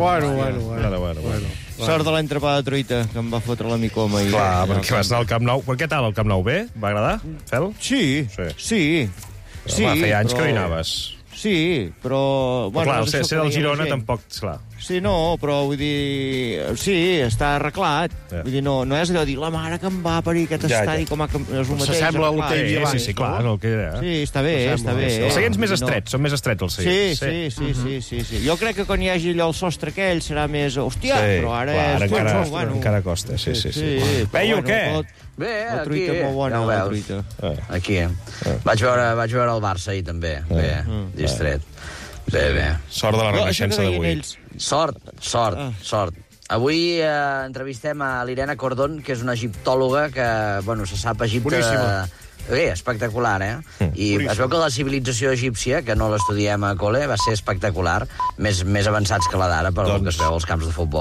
Bueno. Sort de l'entrepà de truita, que em va fotre la micoma. Clar, perquè vas anar al Camp Nou. Per què tal, el Camp Nou? Bé? Va agradar, Fel? Sí. Home, feia anys que no hi anaves. Sí, però... Bueno, clar, ser del Girona tampoc, clar. Sí, no, però vull dir... Sí, està arreglat. Vull dir, no és allò de dir la mare que em va parir aquest estadi com a... S'assembla al que hi havia abans. Sí, clar, el que era. Sí, està bé. Els seients més estrets, són més estrets els seients. Sí. Jo crec que quan hi hagi allò el sostre aquell serà més... Hòstia, però ara és... Encara costa, sí. Veieu què? Bé, la truita aquí, molt bona, ja ho la veus. truita. Aquí. Vaig veure el Barça ahir, també. Bé, distret. Bé. Sort de la renaixença d'avui. Sort. Avui entrevistem a l'Irene Cordon, que és una egiptòloga que, bueno, se sap Egipte... Boníssima. Bé, espectacular, I es veu que la civilització egípcia, que no l'estudiem a col·le, va ser espectacular, més avançats que la d'ara, pel que es veu als camps de futbol.